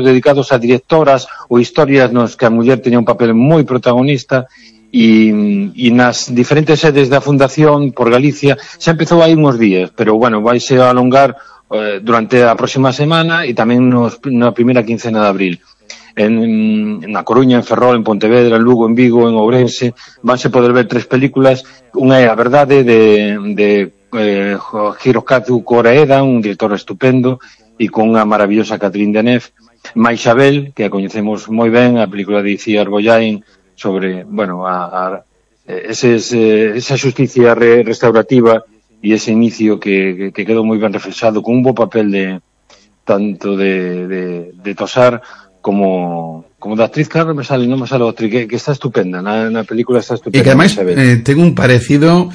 dedicados a directoras ou historias nos que a muller teña un papel moi protagonista, e nas diferentes sedes da Fundación por Galicia xa empezou aí uns días, pero vaise a alongar durante a próxima semana e tamén na primeira quincena de abril. Na Coruña, en Ferrol, en Pontevedra, en Lugo, en Vigo, en Ourense, vanse poder ver 3 películas. Unha é A Verdade, de Hirokazu Koreeda, un director estupendo, e con unha maravillosa Catherine Deneuve. Maixabel, que a coñecemos moi ben, a película de Iciar Boyain, sobre, esa xusticia restaurativa e ese inicio que quedou moi ben reflexado, con un bo papel tanto de Tosar como da actriz, claro, non me sale outra, que está estupenda, na película está estupenda. E que ademais ten un parecido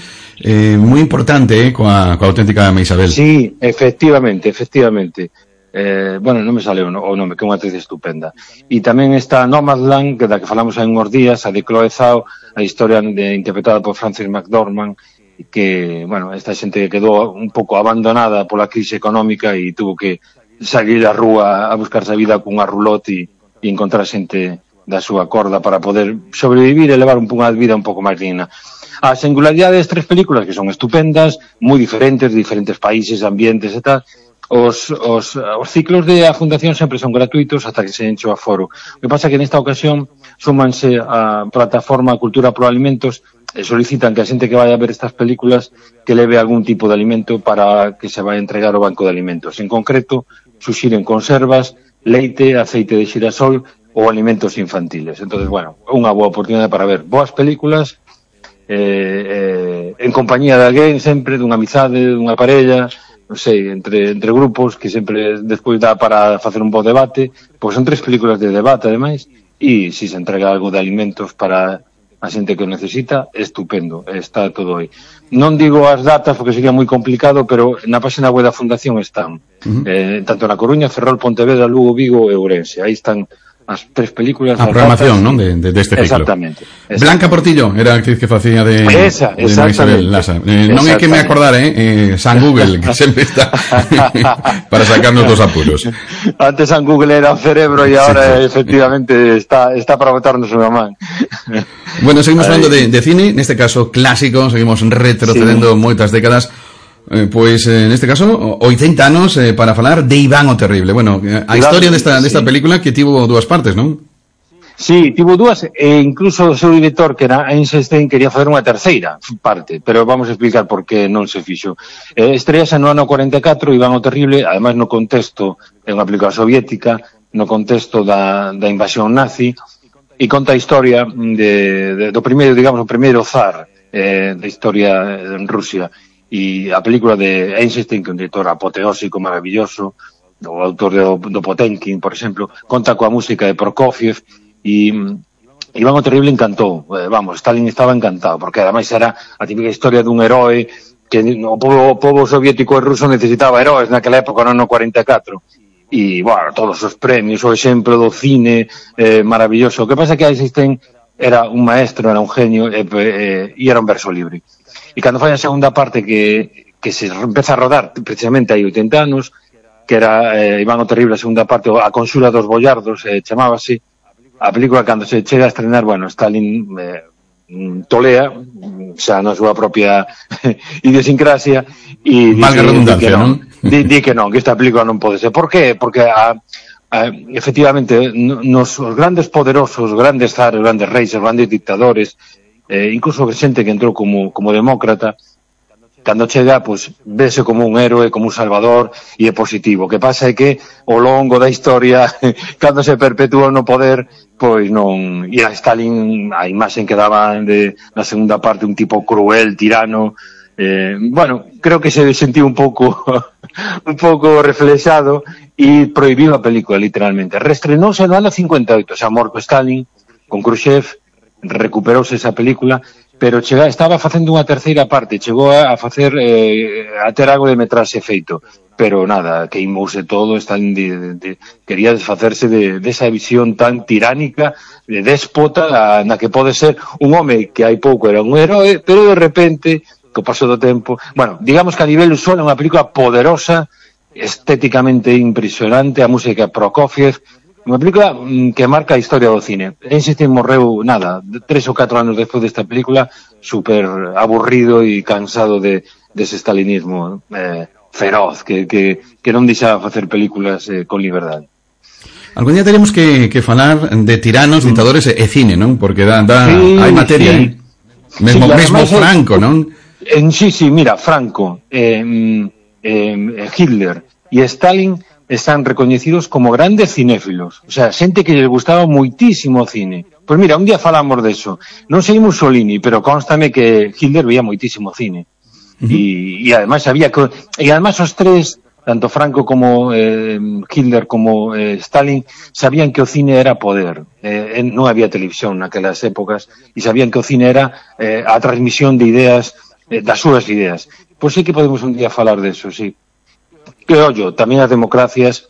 moi importante coa auténtica Isabel. Sí, efectivamente. Bueno, non me sale o nome, que é unha actriz estupenda. E tamén está Nomadland, que da que falamos hai uns días, a de Chloe Zhao, a historia interpretada por Frances McDormand, que, bueno, esta xente que quedou un pouco abandonada pola crise económica e tuvo que salir á rúa a buscarse a vida cunha roulotte e encontrar xente da súa corda para poder sobrevivir e levar unha vida un pouco máis digna. A singularidade das tres películas, que son estupendas, moi diferentes países, ambientes e tal, os ciclos de a Fundación sempre son gratuitos hasta que se enche o aforo. O que pasa é que nesta ocasión súmanse a plataforma Cultura por Alimentos e solicitan que a xente que vai a ver estas películas que leve algún tipo de alimento para que se vai entregar ao banco de alimentos. En concreto, suxiren conservas, leite, aceite de xirasol ou alimentos infantiles. Entonces, bueno, unha boa oportunidade para ver boas películas en compañía de alguén, sempre dunha amizade, dunha parella, non sei, entre grupos que sempre despois dá para facer un bo debate, pois son tres películas de debate ademais, e se se entrega algo de alimentos para a xente que o necesita, estupendo, está todo aí. Non digo as datas porque sería moi complicado, pero na página web da Fundación están, tanto na Coruña, Ferrol, Pontevedra, Lugo, Vigo e Ourense. Aí están as tres películas. A programación, non? Deste ciclo. Exactamente. Blanca Portillo era a actriz que facía de Isabel Lasa. Non é que me acordare, San Google, que sempre está para sacarnos dos apuros. Antes San Google era o cerebro e agora efectivamente está para botarnos unha man. Bueno, seguimos falando de cine, neste caso clásico, seguimos retrocedendo moitas décadas. Pois, neste caso, 80 anos para falar de Iván o Terrible. Bueno, a historia desta película que tivo dúas partes, non? Sí, tivo dúas, e incluso o seu director, que era Einstein, quería fazer unha terceira parte, pero vamos a explicar por que non se fixo. Estrease no ano 44, Iván o Terrible, además no contexto, é unha película soviética, no contexto da invasión nazi, e conta a historia do primeiro, digamos, o primeiro zar da historia en Rusia. E a película de Einstein, que é un director apoteósico, maravilloso, o autor do Potemkin, por exemplo, conta coa música de Prokofiev, e Iván o Terrible encantou. Vamos, Stalin estaba encantado, porque ademais era a típica historia dun heroe que o povo soviético e ruso necesitaba heroes naquela época, no ano 44. E, bueno, todos os premios, o exemplo do cine maravilloso. O que pasa é que Einstein era un maestro, era un genio, e era un verso libre. E cando fai a segunda parte que se empeza a rodar precisamente hai 80 anos, que era Iván o Terrible, a segunda parte, a Conxura dos Boiardos, chamábase, a película cando se chega a estrenar, bueno, Stalin tolea, xa na súa propia idiosincrasia, e valga redundancia, non? Di que non, que esta película non pode ser. Por qué? Porque efectivamente os grandes poderosos, os grandes zares, os grandes reis, os grandes dictadores, incluso xente que entrou como demócrata, cando chega, pois, vese como un héroe, como un salvador, e é positivo. O que pasa é que, ao longo da historia, cando se perpetúa no poder, pois non... E a Stalin, a imaxen que daba na segunda parte, un tipo cruel, tirano, bueno, creo que se sentiu un pouco reflexado e prohibiu a película, literalmente. Reestrenóuse no ano 58, xa morto Stalin, con Khrushchev, recuperouse esa película, pero estaba facendo unha terceira parte, chegou a facer a ter algo de metraxe feito, pero nada, queimouse todo, quería desfacerse desa visión tan tiránica, de déspota, na que pode ser un home que hai pouco era un heroe, pero de repente, co paso do tempo, bueno, digamos que a nivel visual é unha película poderosa, estéticamente impresionante, a música Prokofiev, unha película que marca a historia do cine. Einstein morreu, 3 ou 4 anos despois desta película, super aburrido e cansado dese stalinismo feroz, que non deixaba facer películas con liberdade. Algún día teremos que falar de tiranos, dictadores e cine, non? Porque hai materia, mesmo Franco, non? Sí, mira, Franco, Hitler e Stalin están recoñecidos como grandes cinéfilos, o sea, xente que les gustaba moitísimo o cine. Pois mira, un día falamos deso. Non sei Mussolini, pero constame que Hitler veía moitísimo cine. E ademais había que... E ademais os tres tanto Franco como Hitler como Stalin sabían que o cine era poder. Non había televisión naquelas épocas e sabían que o cine era a transmisión de ideas, das súas ideas. Pois sí que podemos un día falar deso, sí. Que, ollo, tamén as democracias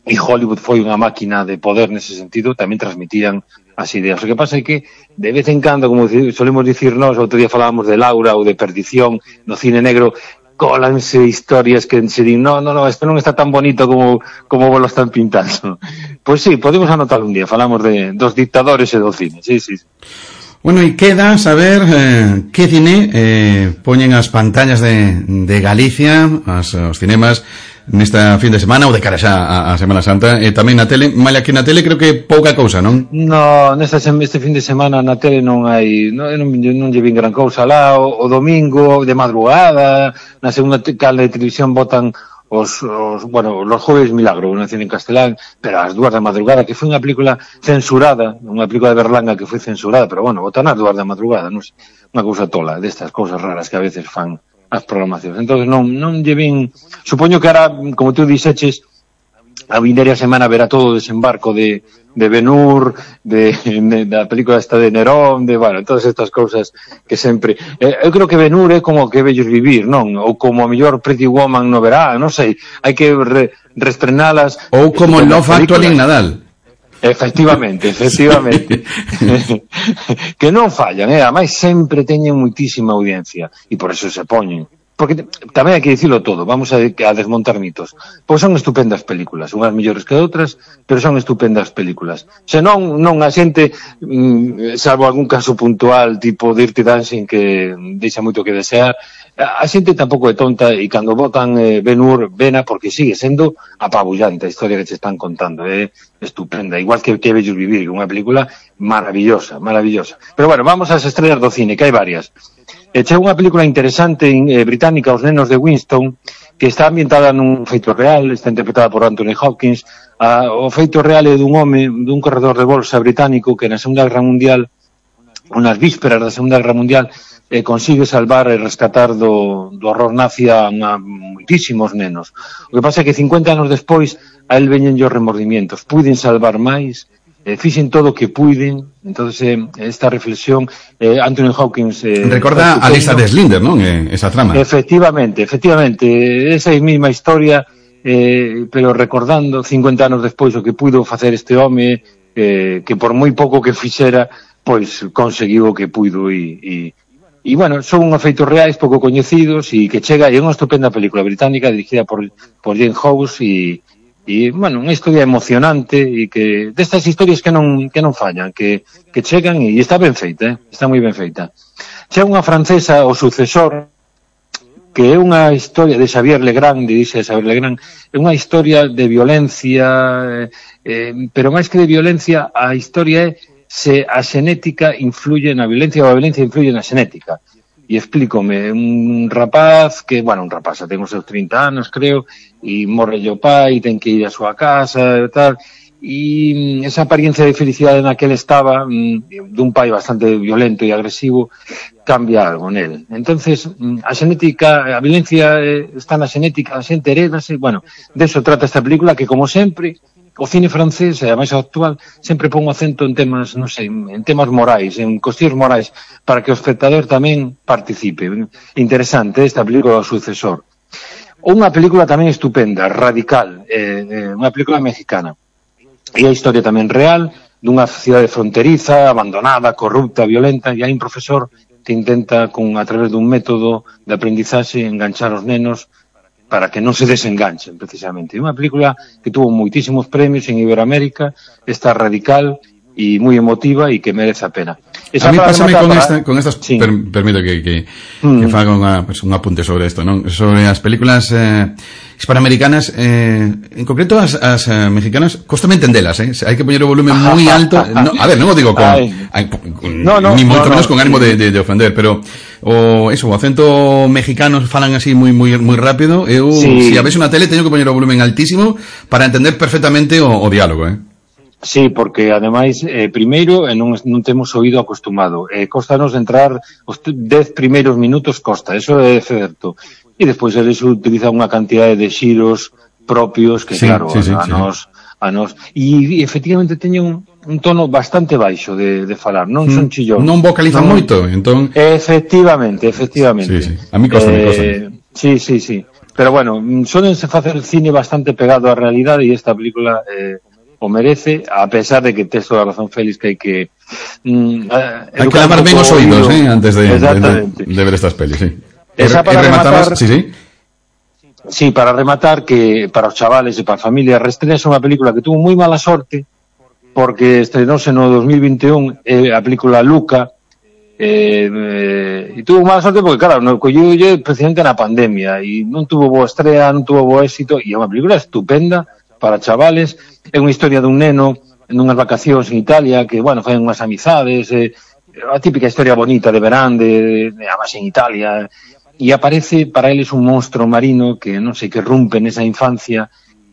e Hollywood foi unha máquina de poder nese sentido, tamén transmitían as ideas. O que pasa é que, de vez en cando, como solemos dicir nós, outro día falábamos de Laura ou de Perdición no cine negro, cólanse historias que se din, no, isto non está tan bonito como vos lo están pintando. Pois sí, podemos anotar un día, falamos dos dictadores e do cine, sí. Bueno, e queda saber que cine poñen as pantallas de Galicia, os cinemas, nesta fin de semana ou de cara xa a Semana Santa, e tamén na tele, malia que na tele creo que pouca cousa, non? No, este fin de semana na tele non hai, non lle vin gran cousa lá, o domingo de madrugada, na segunda canle de televisión botan os Jueves Milagro, unha cine en castelán, pero ás 2 da madrugada, que foi unha película censurada, unha película de Berlanga que foi censurada, pero bueno, botan ás 2 da madrugada, non sei, unha cousa tola, destas cousas raras que a veces fan as programacións. Entón non lle vin, supoño que ahora, como tú dixeches, a vindeira semana verá todo o desembarco de Ben-Hur, da película esta de Nerón, bueno, todas estas cousas que sempre... eu creo que Ben-Hur é como que vellos vivir, non? Ou como a mellor Pretty Woman no verá, non sei, hai que reestrenalas. Ou como Love Actually en Nadal. Efectivamente. Que non fallan, ademais sempre teñen muitísima audiencia e por eso se poñen. Porque tamén hai que dicilo todo, vamos a desmontar mitos. Pois son estupendas películas, unhas mellores que outras, pero son estupendas películas. Se non a xente, salvo algún caso puntual, tipo Dirty Dancing, que deixa moito que desear, a xente tampouco é tonta e cando votan Ben-Hur, vena porque sigue sendo apabullante a historia que se están contando, é estupenda, igual que Vellos Vivir, unha película maravillosa. Pero bueno, vamos ás estrellas do cine, que hai varias. Chega unha película interesante británica, Os nenos de Winston, que está ambientada nun feito real, está interpretada por Anthony Hopkins. O feito real é dun home, dun corredor de bolsa británico que na Segunda Guerra Mundial, unas vísperas da Segunda Guerra Mundial, consigue salvar e rescatar do horror nazi a moitísimos nenos. O que pasa é que 50 anos despois a él veñen os remordimientos. Puiden salvar máis, fixen todo o que puiden. Entonces esta reflexión, Anthony Hopkins... recorda a lista de Slinder, non? Esa trama. Efectivamente, esa é a mesma historia, pero recordando 50 anos despois o que puido facer este home, que por moi pouco que fixera, pois conseguiu o que puido e bueno, son unhos feitos reais pouco coñecidos e que chega, é unha estupenda película británica dirigida por Jane Hawes e bueno, unha historia emocionante e que destas historias que non fallan, que chegan e está ben feita, está moi ben feita. Chega unha francesa, O sucesor, que é unha historia de Xavier Legrand, é unha historia de violencia, pero máis que de violencia, a historia é se a xenética influye na violencia ou a violencia influye na xenética. E explícome, un rapaz que, bueno, un rapaz, ten os seus 30 anos, creo, e morre o pai, ten que ir a súa casa e tal, e esa apariencia de felicidade na que ele estaba, dun pai bastante violento e agresivo, cambia algo nel. Entonces, a xenética, a violencia está na xenética, a xente heredase, bueno, deso trata esta película que, como sempre, o cine francés, e a máis actual, sempre pon o acento en temas, non sei, en temas morais, en cuestións morais, para que o espectador tamén participe. Interesante esta película, O sucesor. Unha película tamén estupenda, Radical, unha película mexicana. E a historia tamén real, dunha cidade fronteriza, abandonada, corrupta, violenta, e hai un profesor que intenta, a través dun método de aprendizaxe, enganchar os nenos para que non se desenganchen, precisamente. É unha película que tuvo moitísimos premios en Iberoamérica, está Radical e moi emotiva e que merece a pena. A mí pásame con estas sí. Permito que faga un apunte sobre isto, non? Sobre as películas hispanoamericanas, en concreto as mexicanas, costame entendelas, hai que poñer o volumen moi alto. A ver, non o digo ni moito menos con ánimo de ofender, pero o acento mexicano falan así moi rápido. Eu, se a ves unha tele, teño que poñer o volumen altísimo para entender perfectamente o diálogo, Sí, porque ademais, primeiro, non temos oído acostumado. Cóstanos entrar os 10 primeiros minutos, costa, eso é certo. e despois eles utilizan unha cantidad de xiros propios que, claro, a nos e efectivamente teñen un tono bastante baixo de falar, non son chillón. Non vocalizan moito, entón... Efectivamente. Sí. A mí costa. Sí. Pero bueno, solense facer cine bastante pegado á realidade e esta película o merece, a pesar de que tes toda a razón, Félix, que hai que hai que lavar ben os oídos, antes de ver estas pelis, sí. Esa para rematar... Sí, para rematar, que para os chavales e para a familia, Restrenes é unha película que tuvo moi mala sorte, porque estrenóse no 2021 a película Luca, e tuvo mala sorte porque, claro, colleulle precisamente na pandemia, e non tuvo boa estrea, non tuvo bo éxito, e é unha película estupenda para chavales. É unha historia dun neno en unhas vacacións en Italia que, bueno, fai unhas amizades, a típica historia bonita de verán, además en Italia, e aparece para eles un monstro marino que, non sei, que rompe nesa infancia,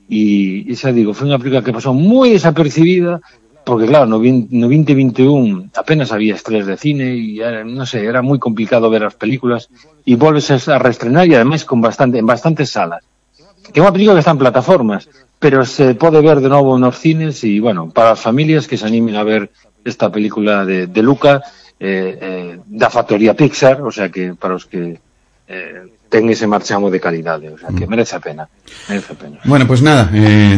e xa digo, foi unha película que pasou moi desapercibida, porque claro, no 2021 apenas había estrellas de cine e, non sei, era moi complicado ver as películas, e volves a reestrenar e ademais en bastantes salas. Que é unha película que está en plataformas, pero se pode ver de novo nos cines e, bueno, para as familias que se animen a ver esta película de Luca, da factoría Pixar, o sea que para os que ten ese marchamo de calidade, o sea que merece a pena. Bueno, pues nada,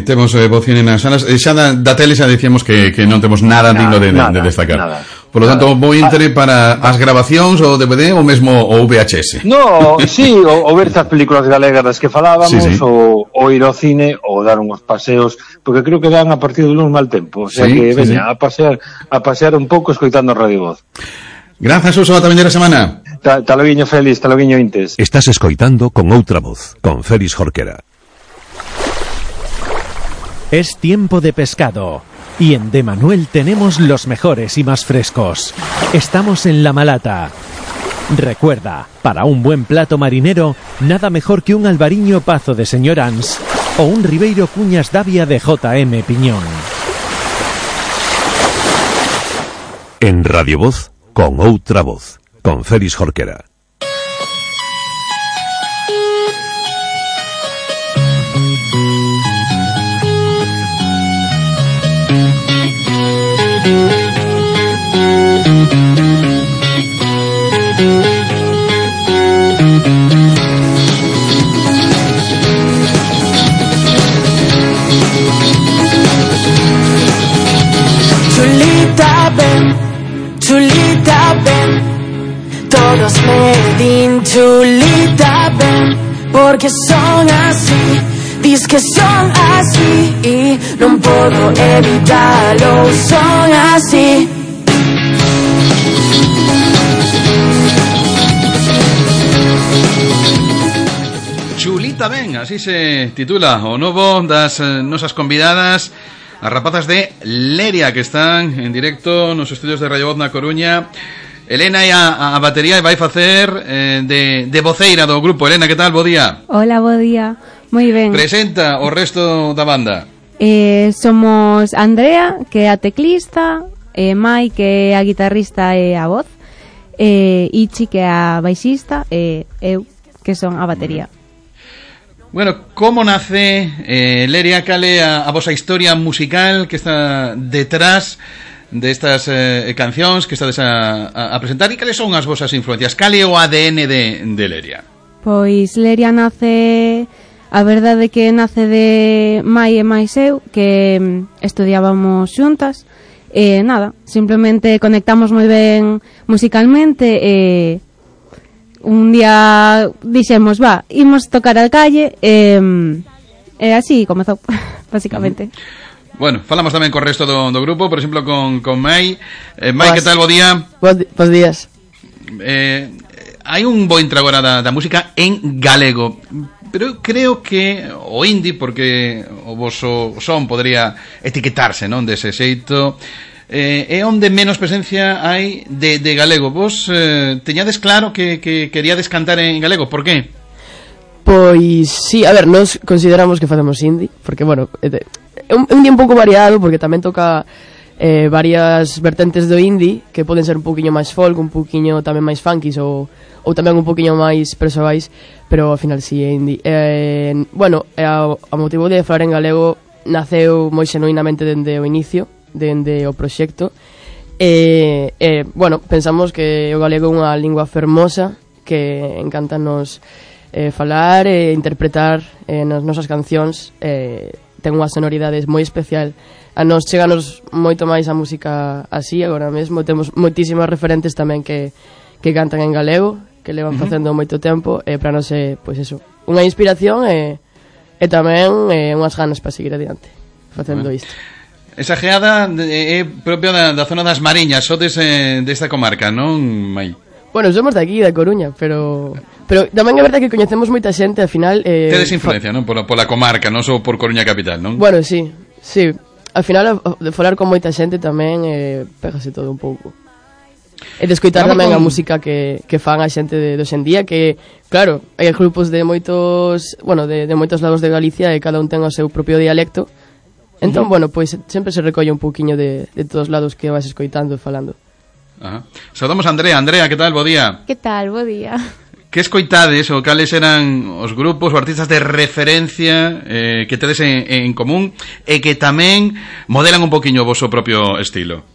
temos voz nas salas, xa da tele xa dicíamos que non temos nada digno de destacar. Por lo tanto, vou entre para as grabacións, o DVD ou mesmo o VHS. No, sí, o ver estas películas galegas das que falábamos, o ir ao cine, ou dar uns paseos, porque creo que dan a partir do lunes mal tempo, o sea que veña a pasear un pouco escoitando Radio Voz. Grazas, Suso, ata vindeira semana. Taloguiño, Félix, taloguiño, Intes. Estás escoitando Con Outra Voz, con Félix Jorquera. Es tiempo de pescado. Y en De Manuel tenemos los mejores y más frescos. Estamos en La Malata. Recuerda, para un buen plato marinero, nada mejor que un albariño pazo de Señor Ans o un Ribeiro Cuñas Davia de J.M. Piñón. En Radio Voz, Con Outra Voz, con Félix Jorquera. Chulita, ven, todos me din chulita, ven, porque son así, dis que son así, y no puedo evitarlo, son así. Chulita, ven, así se titula o novo das nosas convidadas, as rapazas de Leria, que están en directo nos estudios de Radio Voz na Coruña. Elena e a batería vai facer de voceira do grupo. Elena, que tal? Bo día. Hola, bo día. Moi ben. Presenta o resto da banda. Somos Andrea, que é a teclista, Mai, que é a guitarrista e a voz, Ichi, que é a baixista, e eu, que son a batería. Bueno, como nace Leria? Cal é a vosa historia musical que está detrás destas cancións que estades a presentar, e cales son as vosas influencias? Cal é o ADN de Leria? Pois Leria nace, a verdade que nace de Mai e máis eu, que estudiábamos xuntas, e nada, simplemente conectamos moi ben musicalmente, e un día dixemos, imos tocar a calle, e así comezou, basicamente. Bueno, falamos tamén co resto do grupo, por exemplo, con Mai. Mai, que tal, bo día? Bos días. Hai un bo intro agora da música en galego, pero creo que o indie, porque o voso son podría etiquetarse, non, dese xeito, é onde menos presencia hai de galego. Vos teñades claro que queríades cantar en galego, por qué? Pois sí, a ver, nos consideramos que facemos indie, porque, bueno, é un día un pouco variado, porque tamén toca varias vertentes do indie que poden ser un poquinho máis folk, un poquinho tamén máis funkies ou tamén un poquinho máis persoais, pero ao final si é indie. Bueno, a motivo de falar en galego naceu moi xenuinamente dende o inicio, dende o proxecto. Bueno, pensamos que o galego é unha lingua fermosa que encántanos falar e interpretar nas nosas cancións. Ten unha sonoridade moi especial. A nos cheganos moito máis a música así. Agora mesmo temos moitísimas referentes tamén que cantan en galego, que levan facendo moito tempo, e para nos é, pois eso, unha inspiración e tamén unhas ganas para seguir adiante facendo isto. Esa geada é propia da zona das Mariñas, sodes desta comarca, non, Mai? Bueno, somos de aquí, da Coruña, pero tamén é verdade que coñecemos moita xente, al final... Tedes influencia, non? Pola comarca, non só por Coruña capital, non? Bueno, sí. Al final, de falar con moita xente tamén pégase todo un pouco. E de escoitar tamén a música que fan a xente de hoxendía, que, claro, hai grupos de moitos, bueno, de moitos lados de Galicia e cada un ten o seu propio dialecto. Entón, bueno, pois sempre se recolle un pouquiño de todos os lados que vas escoitando e falando. Saudamos a Andrea. Andrea, que tal? Bo día. Que tal? Bo día. Que escoitades ou cales eran os grupos ou artistas de referencia que tedes en común e que tamén modelan un poquinho o voso propio estilo?